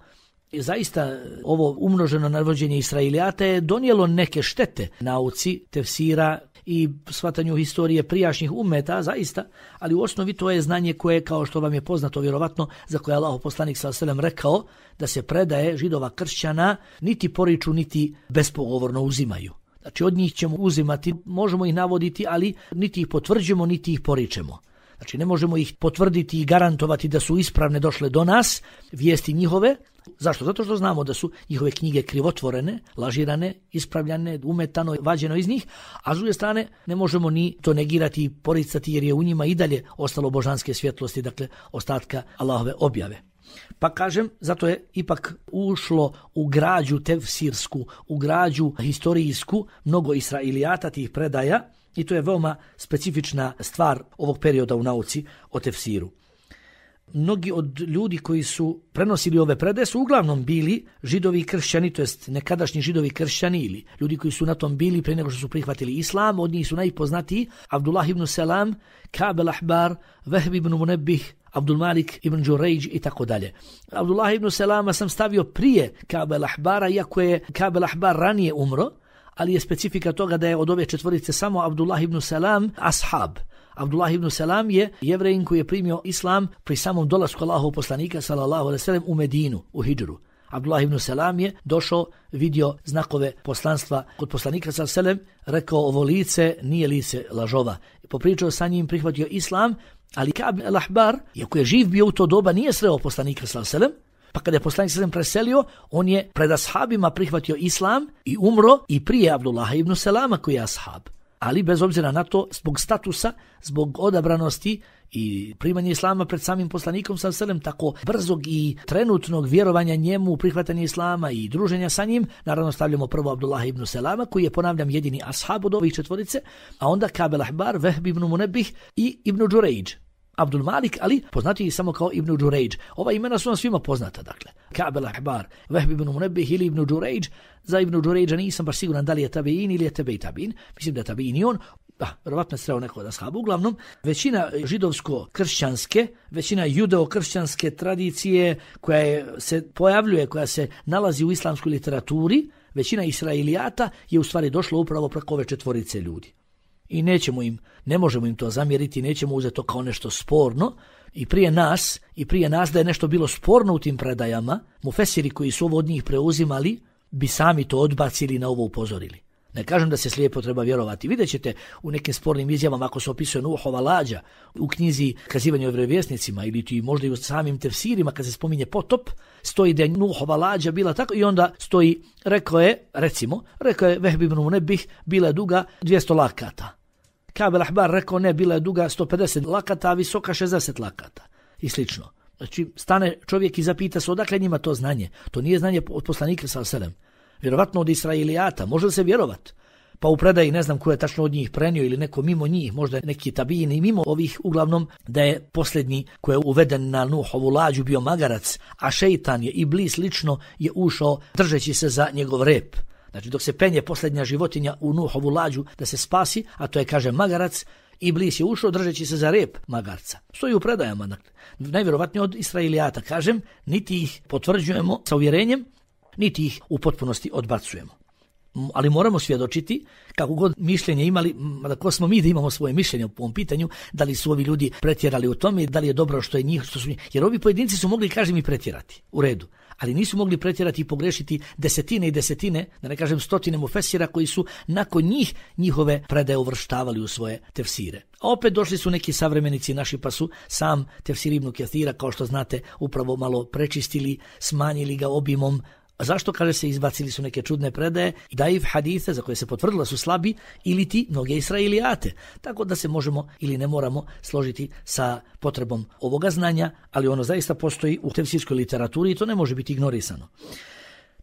zaista ovo umnoženo navođenje Israelijata je donijelo neke štete nauci tefsira i shvatanju historije prijašnjih ummeta, zaista, ali u osnovi to je znanje koje, kao što vam je poznato vjerovatno, za koje Allahov poslanik sallallahu alejhi ve sellem rekao da se predaje Židova kršćana niti poriču niti bespogovorno uzimaju. Znači od njih ćemo uzimati, možemo ih navoditi, ali niti ih potvrđujemo niti ih poričemo. Znači ne možemo ih potvrditi i garantovati da su ispravne došle do nas, vijesti njihove, Zašto? Zato što znamo da su njihove knjige krivotvorene, lažirane, ispravljane, umetano, vađeno iz njih, a s druge strane ne možemo ni to negirati i poricati jer je u njima i dalje ostalo božanske svjetlosti, dakle ostatka Allahove objave. Pa kažem, zato je ipak ušlo u građu tefsirsku, u građu historijsku mnogo israilijata tih predaja i to je veoma specifična stvar ovog perioda u nauci o tefsiru. Mnogi od ljudi koji su prenosili ove predaje su uglavnom bili židovi i kršćani, to jest nekadašnji židovi i kršćani ili ljudi koji su na tom bili prije nego što su prihvatili islam. Od njih su najpoznatiji Abdullah ibn Selam, Ka'b al-Ahbar, Vehb ibn Munebbih, Abdul Malik ibn Đurejđ i tako dalje. Abdullah ibn Selama sam stavio prije Ka'b al-Ahbara, iako je Ka'b al-Ahbar ranije umro, ali je specifika toga da je od ove četvorice samo Abdullah ibn Selam ashab. Abdullah ibn Selam je Jevrejin koji je primio islam pri samom dolasku Allahovog poslanika sallallahu alejhi ve sellem u Medinu, u hidžru. Abdullah ibn Selam je došao, vidio znakove poslanstva kod poslanika sallallahu alejhi ve sellem, rekao ovo lice nije lice lažova. Popričao sa njim, prihvatio islam, ali Ka'b al-Ahbar, iako je živ bio u to doba, nije sreo poslanika sallallahu alejhi ve sellem. Pa kada je poslanik sallallahu alejhi ve sellem preselio, on je pred ashabima prihvatio islam i umro i prije Abdullah ibn Selama koji je ashab. Ali bez obzira na to, zbog statusa, zbog odabranosti i primanja islama pred samim poslanikom sallallahu alejhi ve sellem, tako brzog i trenutnog vjerovanja njemu, prihvatanja islama i druženja sa njim, naravno stavljamo prvo Abdullah ibn Selama koji je, ponavljam, jedini ashab od ovih četvorice, a onda Ka'b al-Ahbar, Vehb ibn Munebbih i ibn Đurejđ. Abdul Malik, ali poznati samo kao ibn Đurejđ. Ova imena su nam svima poznata, dakle. Ka'b al-Ahbar, Vehb ibn Munebbih ili ibn Đurejđ. Za ibn Đurejđa nisam baš siguran da li je tabein ili je tebej tabein. Mislim da je tabein i on. Da, vjerovatno je sreo neko od ashaba. Uglavnom, većina židovsko-kršćanske, većina judeo-kršćanske tradicije koja je, se pojavljuje, koja se nalazi u islamskoj literaturi, većina israilijata je u stvari došlo upravo preko ove četvorice ljudi. I nećemo im, ne možemo im to zamjeriti, nećemo uzeti to kao nešto sporno. I prije nas, i prije nas da je nešto bilo sporno u tim predajama, mufesiri koji su ovo od njih preuzimali, bi sami to odbacili i na ovo upozorili. Ne kažem da se slijepo treba vjerovati. Vidjet ćete u nekim spornim izjavama ako se opisuje Nuhova lađa u knjizi Kazivanje o vjerovjesnicima ili ti možda i u samim tefsirima kad se spominje potop, stoji da je Nuhova lađa bila tako i onda stoji, rekao je, recimo, rekao je Vehb ibn Munebbih, bila je duga dvjesto lakata. Ka'b al-Ahbar rekao ne, bila je duga sto pedeset lakata, a visoka šezdeset lakata i slično. Znači, stane čovjek i zapita se odakle njima to znanje. To nije znanje od poslanika sallallahu alejhi ve sellem. Vjerovatno od Israilijata, može li se vjerovat? Pa u predaji ne znam ko je tačno od njih prenio ili neko mimo njih, možda neki tabijini mimo ovih, uglavnom da je posljednji koji je uveden na Nuhovu lađu bio magarac, a šeitan je Iblis lično je ušao držeći se za njegov rep. Znači dok se penje posljednja životinja u Nuhovu lađu da se spasi, a to je kaže magarac, Iblis je ušao držeći se za rep magarca. Stoji u predajama, dakle, najvjerovatnije od Israilijata, kažem, niti ih potvrđujemo sa uvjerenjem, niti ih u potpunosti odbacujemo. Ali moramo svjedočiti, kako god mišljenje imali, da ko smo mi da imamo svoje mišljenje u ovom pitanju, da li su ovi ljudi pretjerali u tome, da li je dobro što je njih, što su njih. Jer ovi pojedinci su mogli, kažem, i pretjerati, u redu. Ali nisu mogli pretjerati i pogrešiti desetine i desetine, da ne kažem stotine mufesira koji su nakon njih njihove predaje uvrštavali u svoje tefsire. A opet došli su neki savremenici naši pa su sam tefsir Ibn Kathira, kao što znate, upravo malo prečistili, smanjili ga obimom. A zašto, kaže se, izbacili su neke čudne predaje i daif hadise za koje se potvrdilo su slabi ili ti mnoge Israilijate. Tako da se možemo ili ne moramo složiti sa potrebom ovoga znanja, ali ono zaista postoji u tefsirskoj literaturi i to ne može biti ignorisano.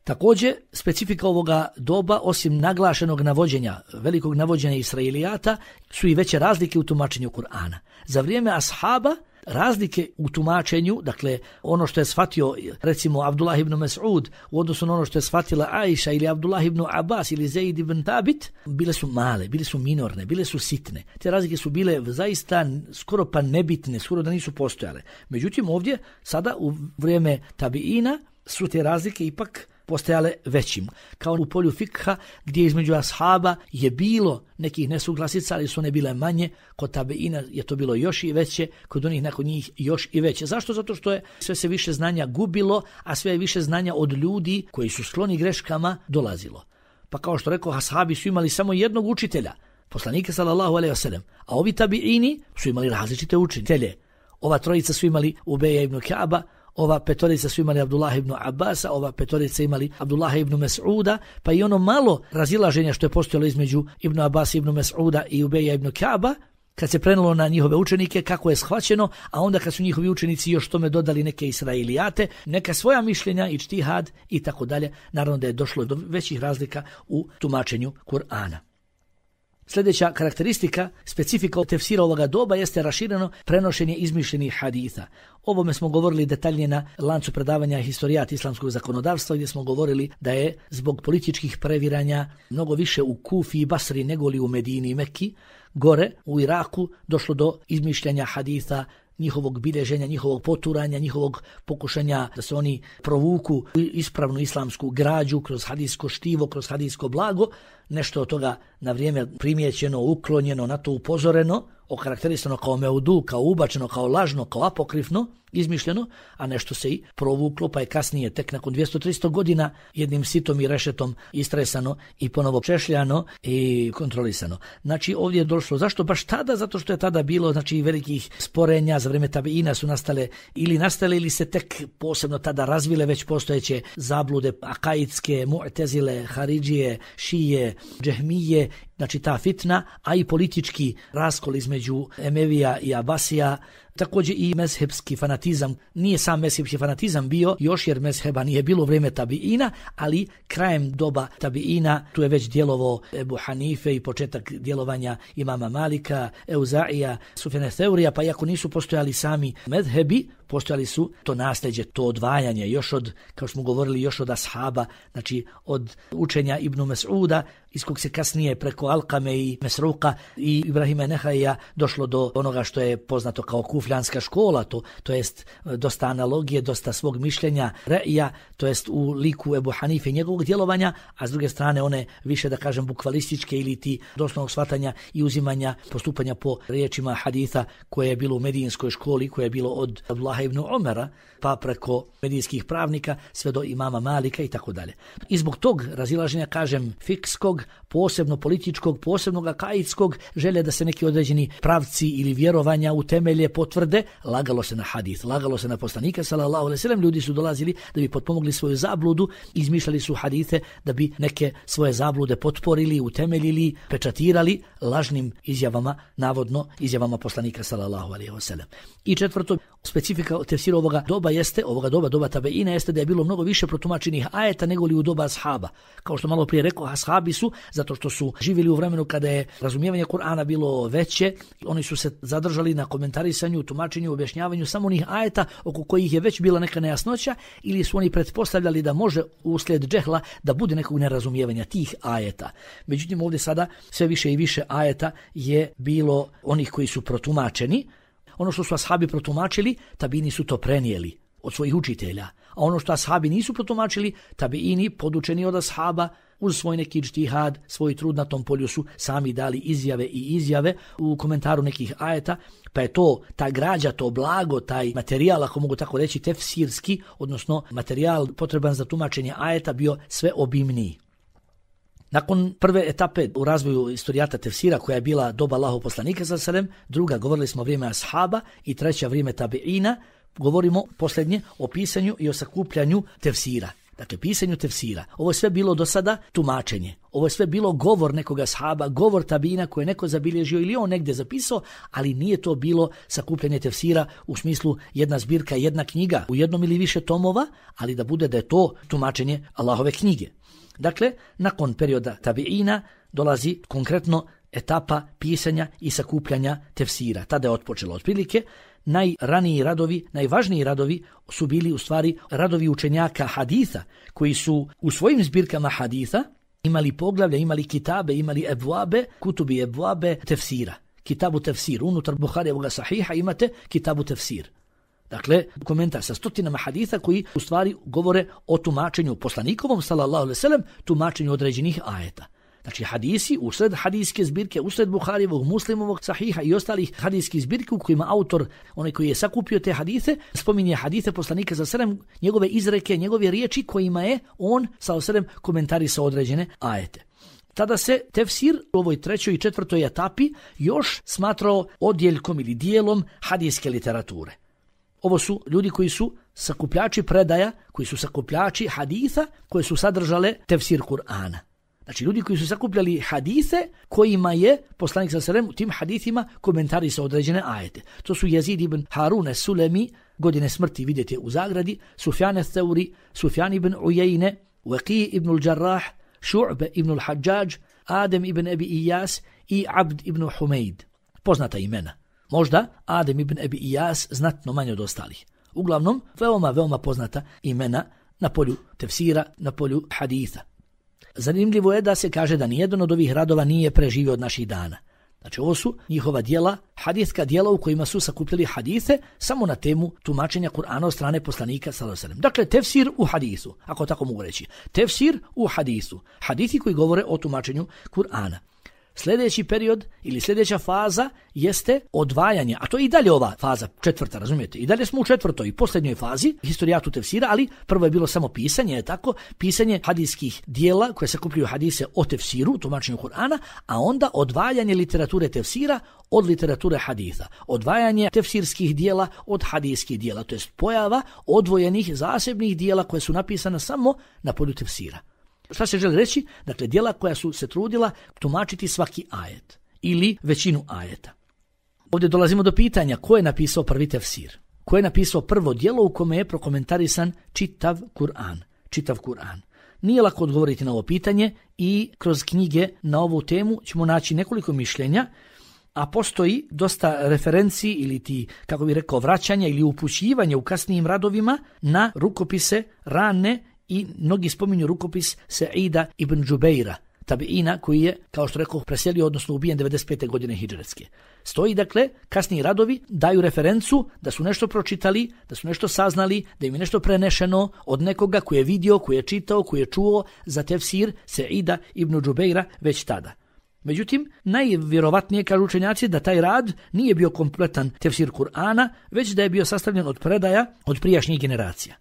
Također, specifika ovoga doba, osim naglašenog navođenja, velikog navođenja Israilijata, su i veće razlike u tumačenju Kur'ana. Za vrijeme ashaba razlike u tumačenju, dakle ono što je shvatio recimo Abdullah ibn Mas'ud u odnosu na ono što je shvatila Aisha ili Abdullah ibn Abbas ili Zaid ibn Thabit, bile su male, bile su minorne, bile su sitne. Te razlike su bile zaista skoro pa nebitne, skoro da nisu postojale. Međutim ovdje sada u vrijeme tabiina su te razlike ipak postajale većim. Kao u polju fikha gdje između ashaba je bilo nekih nesuglasica, ali su one bile manje, kod tabeina je to bilo još i veće, kod onih nakon njih još i veće. Zašto? Zato što je sve se više znanja gubilo, a sve više znanja od ljudi koji su skloni greškama dolazilo. Pa kao što rekao, ashabi su imali samo jednog učitelja, poslanika sallallahu alejhi ve sellem, a ovi tabiini su imali različite učitelje. Ova trojica su imali Ubeja ibn Ka'ba, ova petorica su imali Abdullah ibn Abbasa, ova petorica imali Abdullah ibn Mes'uda, pa i ono malo razilaženja što je postojalo između Ibn Abbas, ibn Mes'uda i Ubeja ibn Ka'ba, kad se prenulo na njihove učenike, kako je shvaćeno, a onda kad su njihovi učenici još tome dodali neke israilijate, neka svoja mišljenja, ičtihad i tako dalje, naravno da je došlo do većih razlika u tumačenju Kur'ana. Sljedeća karakteristika, specifika tefsira ovoga doba jeste rašireno prenošenje izmišljenih haditha. Ovome smo govorili detaljnije na lancu predavanja historijat islamskog zakonodavstva, gdje smo govorili da je zbog političkih previranja mnogo više u Kufi i Basri nego li u Medini i Mekki, gore u Iraku došlo do izmišljanja haditha, njihovog bilježenja, njihovog poturanja, njihovog pokušanja da se oni provuku u ispravnu islamsku građu kroz hadijsko štivo, kroz hadijsko blago. Nešto od toga na vrijeme primijećeno, uklonjeno, na to upozoreno, okarakterisano kao meudu, kao ubačeno, kao lažno, kao apokrifno, izmišljeno, a nešto se i provuklo, pa je kasnije, tek nakon dvjesto do tristo godina, jednim sitom i rešetom istresano i ponovo češljano i kontrolisano. Znači ovdje je došlo, zašto baš tada? Zato što je tada bilo, znači, velikih sporenja, za vrijeme tabiina su nastale ili nastale ili se tek posebno tada razvile već postojeće zablude akaidske, mu'tezile, haridžije, šije, džehmije, znači ta fitna, a i politički raskol između Emevija i Abasija, također i mezhebski fanatizam. Nije sam mezhebski fanatizam bio još, jer mezheba nije bilo u vrijeme tabiina, ali krajem doba tabiina tu je već djelovao Ebu Hanife i početak djelovanja imama Malika, Euzaija, Sufjana Theurija, pa iako nisu postojali sami mezhebi, postojali su to nasljeđe, to odvajanje, još od, kao smo govorili, još od ashaba, znači od učenja Ibnu Mes'uda, iz kog se kasnije preko Alkame i Mesruka i Ibrahima Nehaija došlo do onoga što je poznato kao kufljanska škola, to, to jest dosta analogije, dosta svog mišljenja, re'ija, to jest u liku Ebu Hanife i njegovog djelovanja, a s druge strane one više, da kažem, bukvalističke ili ti doslovnog shvatanja i uzimanja, postupanja po riječima haditha koje je bilo u medijinskoj školi, koje je bilo od Abdullah ibn Umara, pa preko medijskih pravnika sve do imama Malika i tako dalje. I zbog tog razilaženja, kažem, fikskog, posebno političkog, posebno akaidskog, želje da se neki određeni pravci ili vjerovanja utemelje, potvrde, lagalo se na hadith, lagalo se na poslanika sallallahu alejhi ve sellem, ljudi su dolazili da bi potpomogli svoju zabludu, izmišljali su hadithe da bi neke svoje zablude potporili, utemeljili, pečatirali lažnim izjavama, navodno izjavama poslanika sallallahu alejhi ve sellem. I četvrto, specifika tefsira ovoga doba jeste, ovoga doba, doba tabeina, jeste da je bilo mnogo više protumačenih ajeta nego li u doba ashaba. Kao što malo prije rekao, ashabi su, zato što su živjeli u vremenu kada je razumijevanje Kur'ana bilo veće, oni su se zadržali na komentarisanju, tumačenju, objašnjavanju samo onih ajeta oko kojih je već bila neka nejasnoća, ili su oni pretpostavljali da može uslijed džehla da bude nekog nerazumijevanja tih ajeta. Međutim, ovdje sada sve više i više ajeta je bilo onih koji su protumačeni. Ono što su ashabi protumačili, tabini su to prenijeli od svojih učitelja. A ono što ashabi nisu protumačili, tabiini, podučeni od ashaba, uz svoj neki džtihad, svoj trud na tom polju su sami dali izjave i izjave u komentaru nekih ajeta, pa je to, ta građa, to blago, taj materijal, ako mogu tako reći, tefsirski, odnosno materijal potreban za tumačenje ajeta, bio sve obimniji. Nakon prve etape u razvoju istorijata tefsira, koja je bila doba Allahov poslanika sallallahu alejhi ve sellem, druga, govorili smo vrijeme ashaba, i treća vrijeme tabiina, govorimo posljednje o pisanju i o sakupljanju tefsira. Dakle, pisanju tefsira. Ovo je sve bilo do sada tumačenje. Ovo je sve bilo govor nekoga ashaba, govor tabiina koje je neko zabilježio ili on negdje zapisao, ali nije to bilo sakupljanje tefsira u smislu jedna zbirka, jedna knjiga u jednom ili više tomova, ali da bude da je to tumačenje Allahove knjige. Dakle, nakon perioda tabiina dolazi konkretno etapa pisanja i sakupljanja tefsira. Tada je otpočelo otprilike. Najraniji radovi, najvažniji radovi su bili u stvari radovi učenjaka haditha, koji su u svojim zbirkama haditha imali poglavlja, imali kitabe, imali ebvabe, kutubi ebvabe tefsira. Kitabu tefsir, unutar Buharijevog sahiha imate kitabu tefsir. Dakle, komentar sa stotinama haditha koji u stvari govore o tumačenju poslanikovom, sallallahu alejhi ve sellem, tumačenju određenih ajeta. Znači hadisi, usred hadijske zbirke, usred Buharijevog, Muslimovog sahiha i ostalih hadijskih zbirki u kojima autor, onaj koji je sakupio te hadise, spominje hadise poslanika sallallahu alejhi ve sellem, njegove izreke, njegove riječi kojima je on sallallahu alejhi ve sellem komentarisao određene ajete. Tada se tefsir u ovoj trećoj i četvrtoj etapi još smatrao odjeljkom ili dijelom hadijske literature. Ovo su ljudi koji su sakupljači predaja, koji su sakupljači haditha, koje su sadržale tefsir Kur'ana. Znači ljudi koji su sakupljali hadise kojima je poslanik sallallahu alejhi ve sellem u tim hadithima komentarisao određene ajete. To su Jezid ibn Harun es-Sulemi, godine smrti vidite u zagradi, Sufjan es-Thauri, Sufjan ibn Ujejne, Waqi ibn al-Jarrah, Šu'be ibn al-Hajjaj, Adem ibn Abi Iyas i Abd ibn Humeid. Poznata imena. Možda Adem ibn Abi Iyas znatno manje od ostalih. Uglavnom, veoma, veoma poznata imena na polju tefsira, na polju haditha. Zanimljivo je da se kaže da nijedan od ovih radova nije preživio od naših dana. Znači ovo su njihova djela, hadithska djela u kojima su sakupljali hadise samo na temu tumačenja Kur'ana od strane poslanika sallallahu alejhi ve sellem. Dakle, tefsir u hadisu, ako tako mogu reći. Tefsir u hadisu. Hadithi koji govore o tumačenju Kur'ana. Sljedeći period ili sljedeća faza jeste odvajanje, a to je i dalje ova faza četvrta, razumijete? I dalje smo u četvrtoj i posljednjoj fazi historijatu tefsira, ali prvo je bilo samo pisanje, je tako? Pisanje hadijskih dijela koje sakupljaju hadise o tefsiru, tumačenju Kur'ana, a onda odvajanje literature tefsira od literature haditha. Odvajanje tefsirskih dijela od hadijskih dijela, to jest pojava odvojenih zasebnih dijela koje su napisana samo na polju tefsira. Šta se želi reći? Dakle, djela koja su se trudila tumačiti svaki ajet ili većinu ajeta. Ovdje dolazimo do pitanja ko je napisao prvi tefsir. Ko je napisao prvo djelo u kome je prokomentarisan čitav Kur'an. Čitav Kur'an. Nije lako odgovoriti na ovo pitanje i kroz knjige na ovu temu ćemo naći nekoliko mišljenja, a postoji dosta referenci ili ti, kako bih rekao, vraćanja ili upućivanja u kasnijim radovima na rukopise rane i mnogi spominju rukopis Sa'ida ibn Džubeira, tabiina koji je, kao što rekao, preselio, odnosno ubijen devedeset pete godine hidžretske. Stoji, dakle, kasniji radovi daju referencu da su nešto pročitali, da su nešto saznali, da im je nešto prenešeno od nekoga koji je vidio, koji je čitao, koji je čuo za tefsir Sa'ida ibn Džubeira već tada. Međutim, najvjerovatnije kažu učenjaci da taj rad nije bio kompletan tefsir Kur'ana, već da je bio sastavljen od predaja od prijašnjih generacija.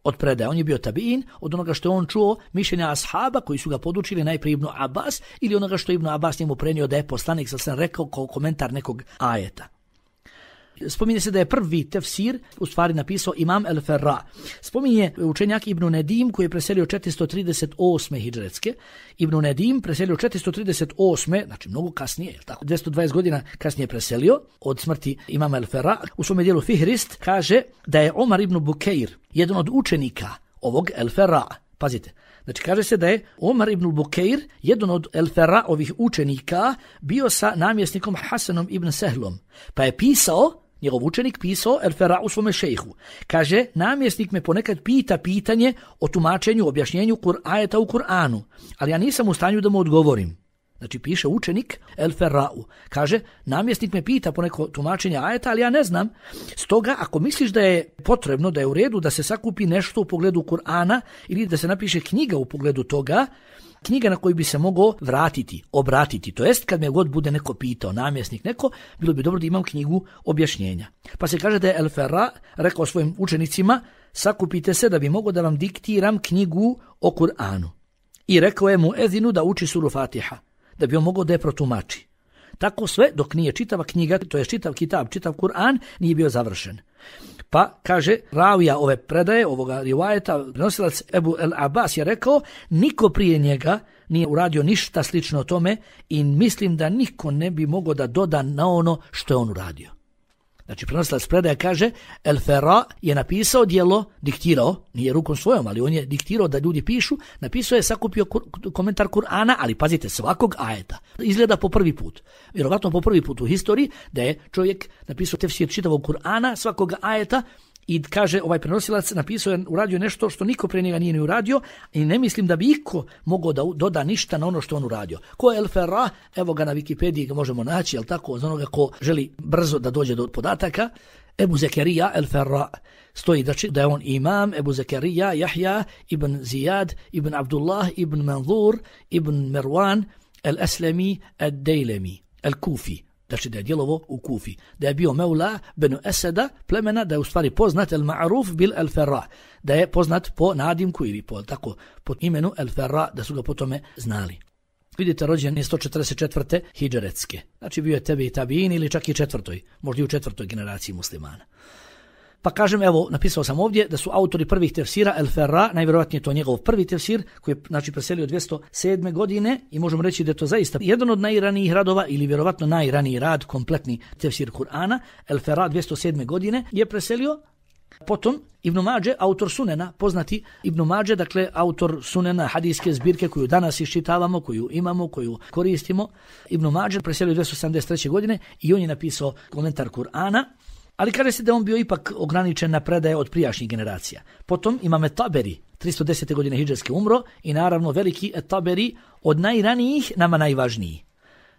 Od predaja. On je bio tabiin, od onoga što je on čuo mišljenja ashaba koji su ga podučili najprije Ibn Abbas ili onoga što je Ibn Abbas njemu prenio da je poslanik sa sam rekao kao komentar nekog ajeta. Spominje se da je prvi tefsir u stvari napisao Imam el-Ferra. Spominje učenjak Ibn Nedim koji je preselio četiristo trideset osme hidžretske. Ibn Nedim preselio četiristo trideset osme, znači mnogo kasnije, tako, dvjesto dvadeset godina kasnije preselio od smrti Imama el-Ferra. U svome dijelu Fihrist kaže da je Omar ibn Bukeir, jedan od učenika ovog el-Ferra. Pazite, znači kaže se da je Omar ibn Bukeir, jedan od el-Ferra ovih učenika, bio sa namjesnikom Hasanom ibn Sehlom, pa je pisao, njegov učenik pisao el-Ferra u svome šejhu. Kaže, namjesnik me ponekad pita pitanje o tumačenju, objašnjenju ajeta u Kur'anu, ali ja nisam u stanju da mu odgovorim. Znači piše učenik el-Ferra'u. Kaže, namjesnik me pita poneko tumačenje ajeta, ali ja ne znam. Stoga, ako misliš da je potrebno, da je u redu da se sakupi nešto u pogledu Kur'ana ili da se napiše knjiga u pogledu toga, knjiga na koju bi se mogao vratiti, obratiti. To jest, kad me god bude neko pitao, namjesnik neko, bilo bi dobro da imam knjigu objašnjenja. Pa se kaže da je el-Ferra rekao svojim učenicima, sakupite se da bi mogao da vam diktiram knjigu o Kur'anu. I rekao je mu Ezinu da uči suru Fatiha, da bi on mogao da je protumači. Tako sve dok nije čitava knjiga, to je čitav kitab, čitav Kur'an, nije bio završen. Pa, kaže, ravija ove predaje, ovoga rivajeta, prenosilac Ebu el Abbas je rekao, niko prije njega nije uradio ništa slično tome i mislim da niko ne bi mogao da doda na ono što je on uradio. Znači, prenosilac predaje kaže, el-Ferra je napisao djelo, diktirao, nije rukom svojom, ali on je diktirao da ljudi pišu, napisao je, sakupio kur, komentar Kur'ana, ali pazite, svakog ajeta. Izgleda po prvi put. Vjerovatno po prvi put u historiji da je čovjek napisao tefsir čitavog Kur'ana, svakog ajeta, i kaže, ovaj prenosilac napisao je, uradio nešto što niko pre njega nije ni uradio i ne mislim da bi iko mogao da doda ništa na ono što on uradio. Ko je el-Ferra? Evo ga na Wikipediji ga možemo naći, jel tako, za onoga ko želi brzo da dođe do podataka. Ebu Zekerija el-Ferra. Stoji da, da je on imam Ebu Zekerija, Jahja, ibn Zijad, ibn Abdullah, ibn Manzur, ibn Merwan, el-Eslemi, el-Dejlemi, el-Kufi. Znači da je djelovo u Kufi, da je bio Meula benu Eseda, plemena, da je u stvari poznat el-Ma'ruf bil el-Ferra, da je poznat po nadimku ili po, tako, po imenu el-Ferra, da su ga po tome znali. Vidite, rođen je sto četrdeset četvrte hidžretske, znači bio je tebi i tabiin ili čak i četvrtoj, možda i u četvrtoj generaciji muslimana. Pa kažem, evo, napisao sam ovdje da su autori prvih tefsira El Ferra, najvjerojatnije to njegov prvi tefsir, koji je znači preselio dvjesto sedme godine i možemo reći da je to zaista jedan od najranijih radova ili vjerovatno najraniji rad, kompletni tefsir Kur'ana. El Ferra dvjesto sedme godine je preselio. Potom Ibn Mađe, autor Sunena, poznati Ibn Mađe, dakle autor Sunena, hadijske zbirke koju danas iščitavamo, koju imamo, koju koristimo. Ibn Mađe preselio dvjesto sedamdeset treće godine i on je napisao komentar Kur'ana, ali kaže se da on bio ipak ograničen na predaje od prijašnjih generacija. Potom imamo Taberi, tristo desete godine hidžetske umro i naravno veliki Taberi od najranijih nama najvažniji.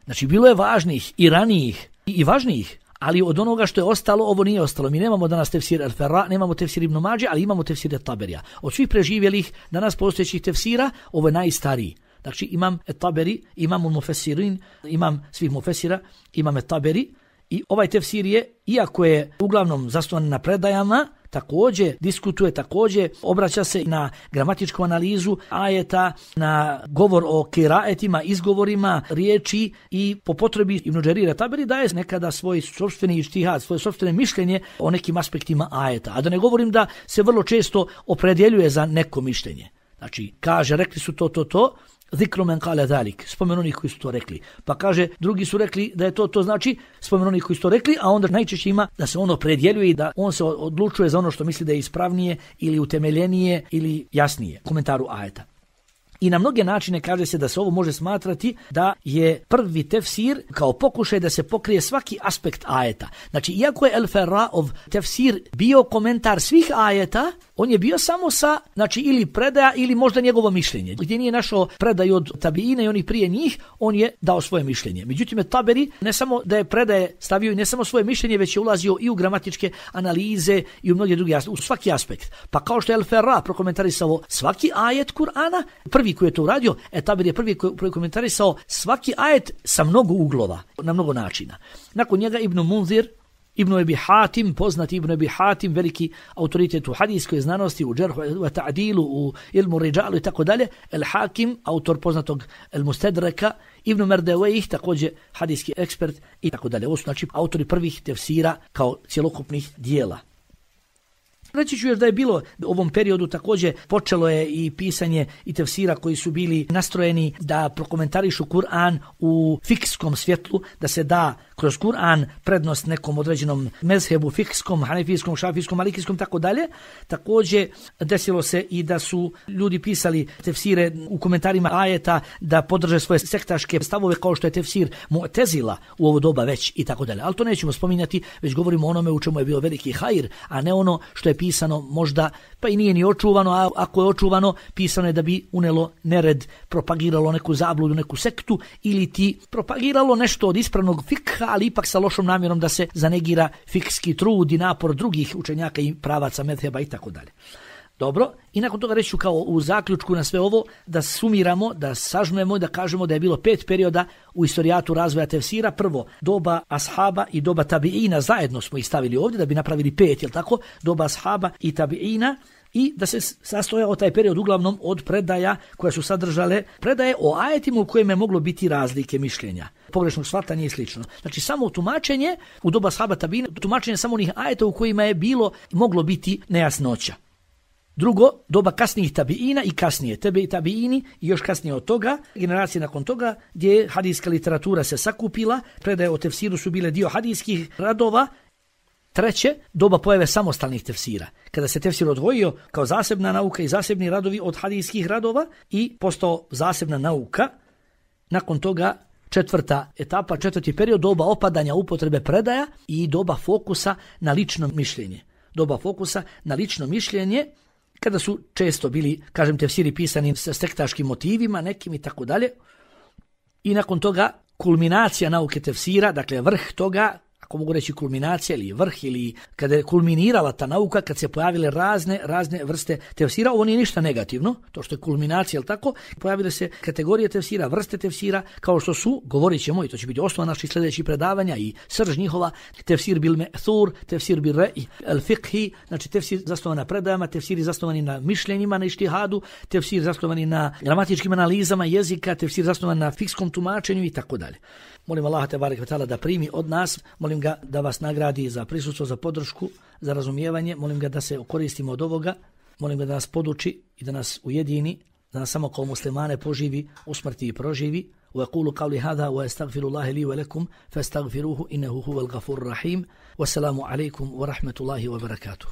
Znači bilo je važnijih i ranijih i važnijih, ali od onoga što je ostalo, ovo nije ostalo. Mi nemamo danas tefsir El Ferra, nemamo tefsir Ibn Mađe, ali imamo tefsir Taberija. Od svih preživjelih danas postojećih tefsira, ovo je najstariji. Znači imam Taberi, imam Mufesirin, imam svih Mufesira, imam Taberi i ovaj tefsir je, iako je uglavnom zasnovan na predajama, također diskutuje, također obraća se na gramatičku analizu ajeta, na govor o kiraetima, izgovorima, riječi i po potrebi Ibn Đerira Taberi daje nekada svoj sopstveni ištihad, svoje sopstvene mišljenje o nekim aspektima ajeta. A da ne govorim da se vrlo često opredjeljuje za neko mišljenje. Znači, kaže, rekli su to, to, to, zikru men kale zalik, spomen onih koji su to rekli. Pa kaže, drugi su rekli da je to, to znači spomen onih koji su to rekli, a onda najčešće ima da se ono opredjeljuje i da on se odlučuje za ono što misli da je ispravnije ili utemeljenije ili jasnije komentaru ajeta. I na mnoge načine kaže se da se ovo može smatrati da je prvi tefsir kao pokušaj da se pokrije svaki aspekt ajeta. Znači, iako je El Ferraov tefsir bio komentar svih ajeta, on je bio samo sa, znači, ili predaja ili možda njegovo mišljenje. Gdje nije našao predaju od tabiina i onih prije njih, on je dao svoje mišljenje. Međutim, Taberi ne samo da je predaje stavio i ne samo svoje mišljenje, već je ulazio i u gramatičke analize i u mnoge druge aspekte, u svaki aspekt. Pa kao što je El Ferra prokomentarisao svaki ajet Kur'ana, prvi koji je to uradio, e Taberi je prvi koji je komentarisao svaki ajet sa mnogo uglova, na mnogo načina. Nakon njega Ibn Munzir, Ibn Abi Hatim, poznati Ibn Abi Hatim, veliki autoritet u hadijskoj znanosti, u džerhu, u ta'dilu, u ilmu rijalu i tako dalje. El Hakim, autor poznatog El Mustedreka, Ibn Merdewejih, također hadijski ekspert i tako dalje. Ovo su znači autori prvih tefsira kao cjelokupnih dijela. Reći ću još da je bilo u ovom periodu također počelo je i pisanje i tefsira koji su bili nastrojeni da prokomentarišu Kur'an u fikskom svjetlu, da se da kroz Kur'an prednost nekom određenom mezhebu fikskom, hanefijskom, šafijskom, malikijskom, tako dalje. Također desilo se i da su ljudi pisali tefsire u komentarima ajeta da podrže svoje sektaške stavove kao što je tefsir Mu'tezila u ovo doba već i tako dalje. Ali to nećemo spominjati, već govorimo o onome u čemu je bio veliki hajr, a ne ono što je pisano možda, pa i nije ni očuvano, a ako je očuvano, pisano je da bi unelo nered, propagiralo neku zabludu, neku sektu ili ti propagiralo nešto od ispravnog fikha, ali ipak sa lošom namjerom da se zanegira fikski trud i napor drugih učenjaka i pravaca medheba i tako dalje. Dobro, i nakon toga reću kao u zaključku na sve ovo da sumiramo, da sažmemo i da kažemo da je bilo pet perioda u istorijatu razvoja tefsira. Prvo, doba ashaba i doba tabiina, zajedno smo ih stavili ovdje da bi napravili pet, jel tako? Doba ashaba i tabiina. I da se sastojao taj period uglavnom od predaja koje su sadržale predaje o ajetima u kojima je moglo biti razlike mišljenja, pogrešnog shvatanja i slično. Znači samo tumačenje u doba ashaba tabiina, tumačenje samo onih ajeta u kojima je bilo moglo biti nejasnoća. Drugo, doba kasnijih tabiina i kasnije, tebe i tabiini i još kasnije od toga, generacije nakon toga, gdje hadijska literatura se sakupila, predaje o tefsiru su bile dio hadijskih radova. Treće, doba pojave samostalnih tefsira, kada se tefsir odvojio kao zasebna nauka i zasebni radovi od hadijskih radova i postao zasebna nauka. Nakon toga, četvrta etapa, četvrti period, doba opadanja upotrebe predaja i doba fokusa na lično mišljenje. Doba fokusa na lično mišljenje, kada su često bili, kažem, tefsiri pisani sa sektaškim motivima, nekim i tako dalje. I nakon toga, kulminacija nauke tefsira, dakle vrh toga, ako mogu reći kulminacija ili vrh ili kada je kulminirala ta nauka, kad se pojavile razne razne vrste tefsira, ovo nije ništa negativno, to što je kulminacija, jel tako, pojavile se kategorije tefsira, vrste tefsira, kao što su, govorit ćemo, i to će biti osnova naših sljedećih predavanja i srž njihova, tefsir bil me'thur, tefsir bil re'i, al fiqhi, znači tefsir zasnovan na predajama, tefsiri zasnovani na mišljenjima, na ištihadu, tefsir zasnovani na gramatičkim analizama jezika, tefsir zasnovan na fikskom tumačenju i tako dalje. Molim Allaha tebareke ve taala da primi od nas, molim ga da vas nagradi za prisustvo, za podršku, za razumijevanje, molim ga da se koristimo od ovoga, molim ga da nas poduči i da nas ujedini, da nas samo kao muslimane poživi, usmrti i proživi. وأقول قولي هذا وأستغفر الله لي ولكم فاستغفروه إنه هو الغفور الرحيم والسلام عليكم ورحمة الله وبركاته.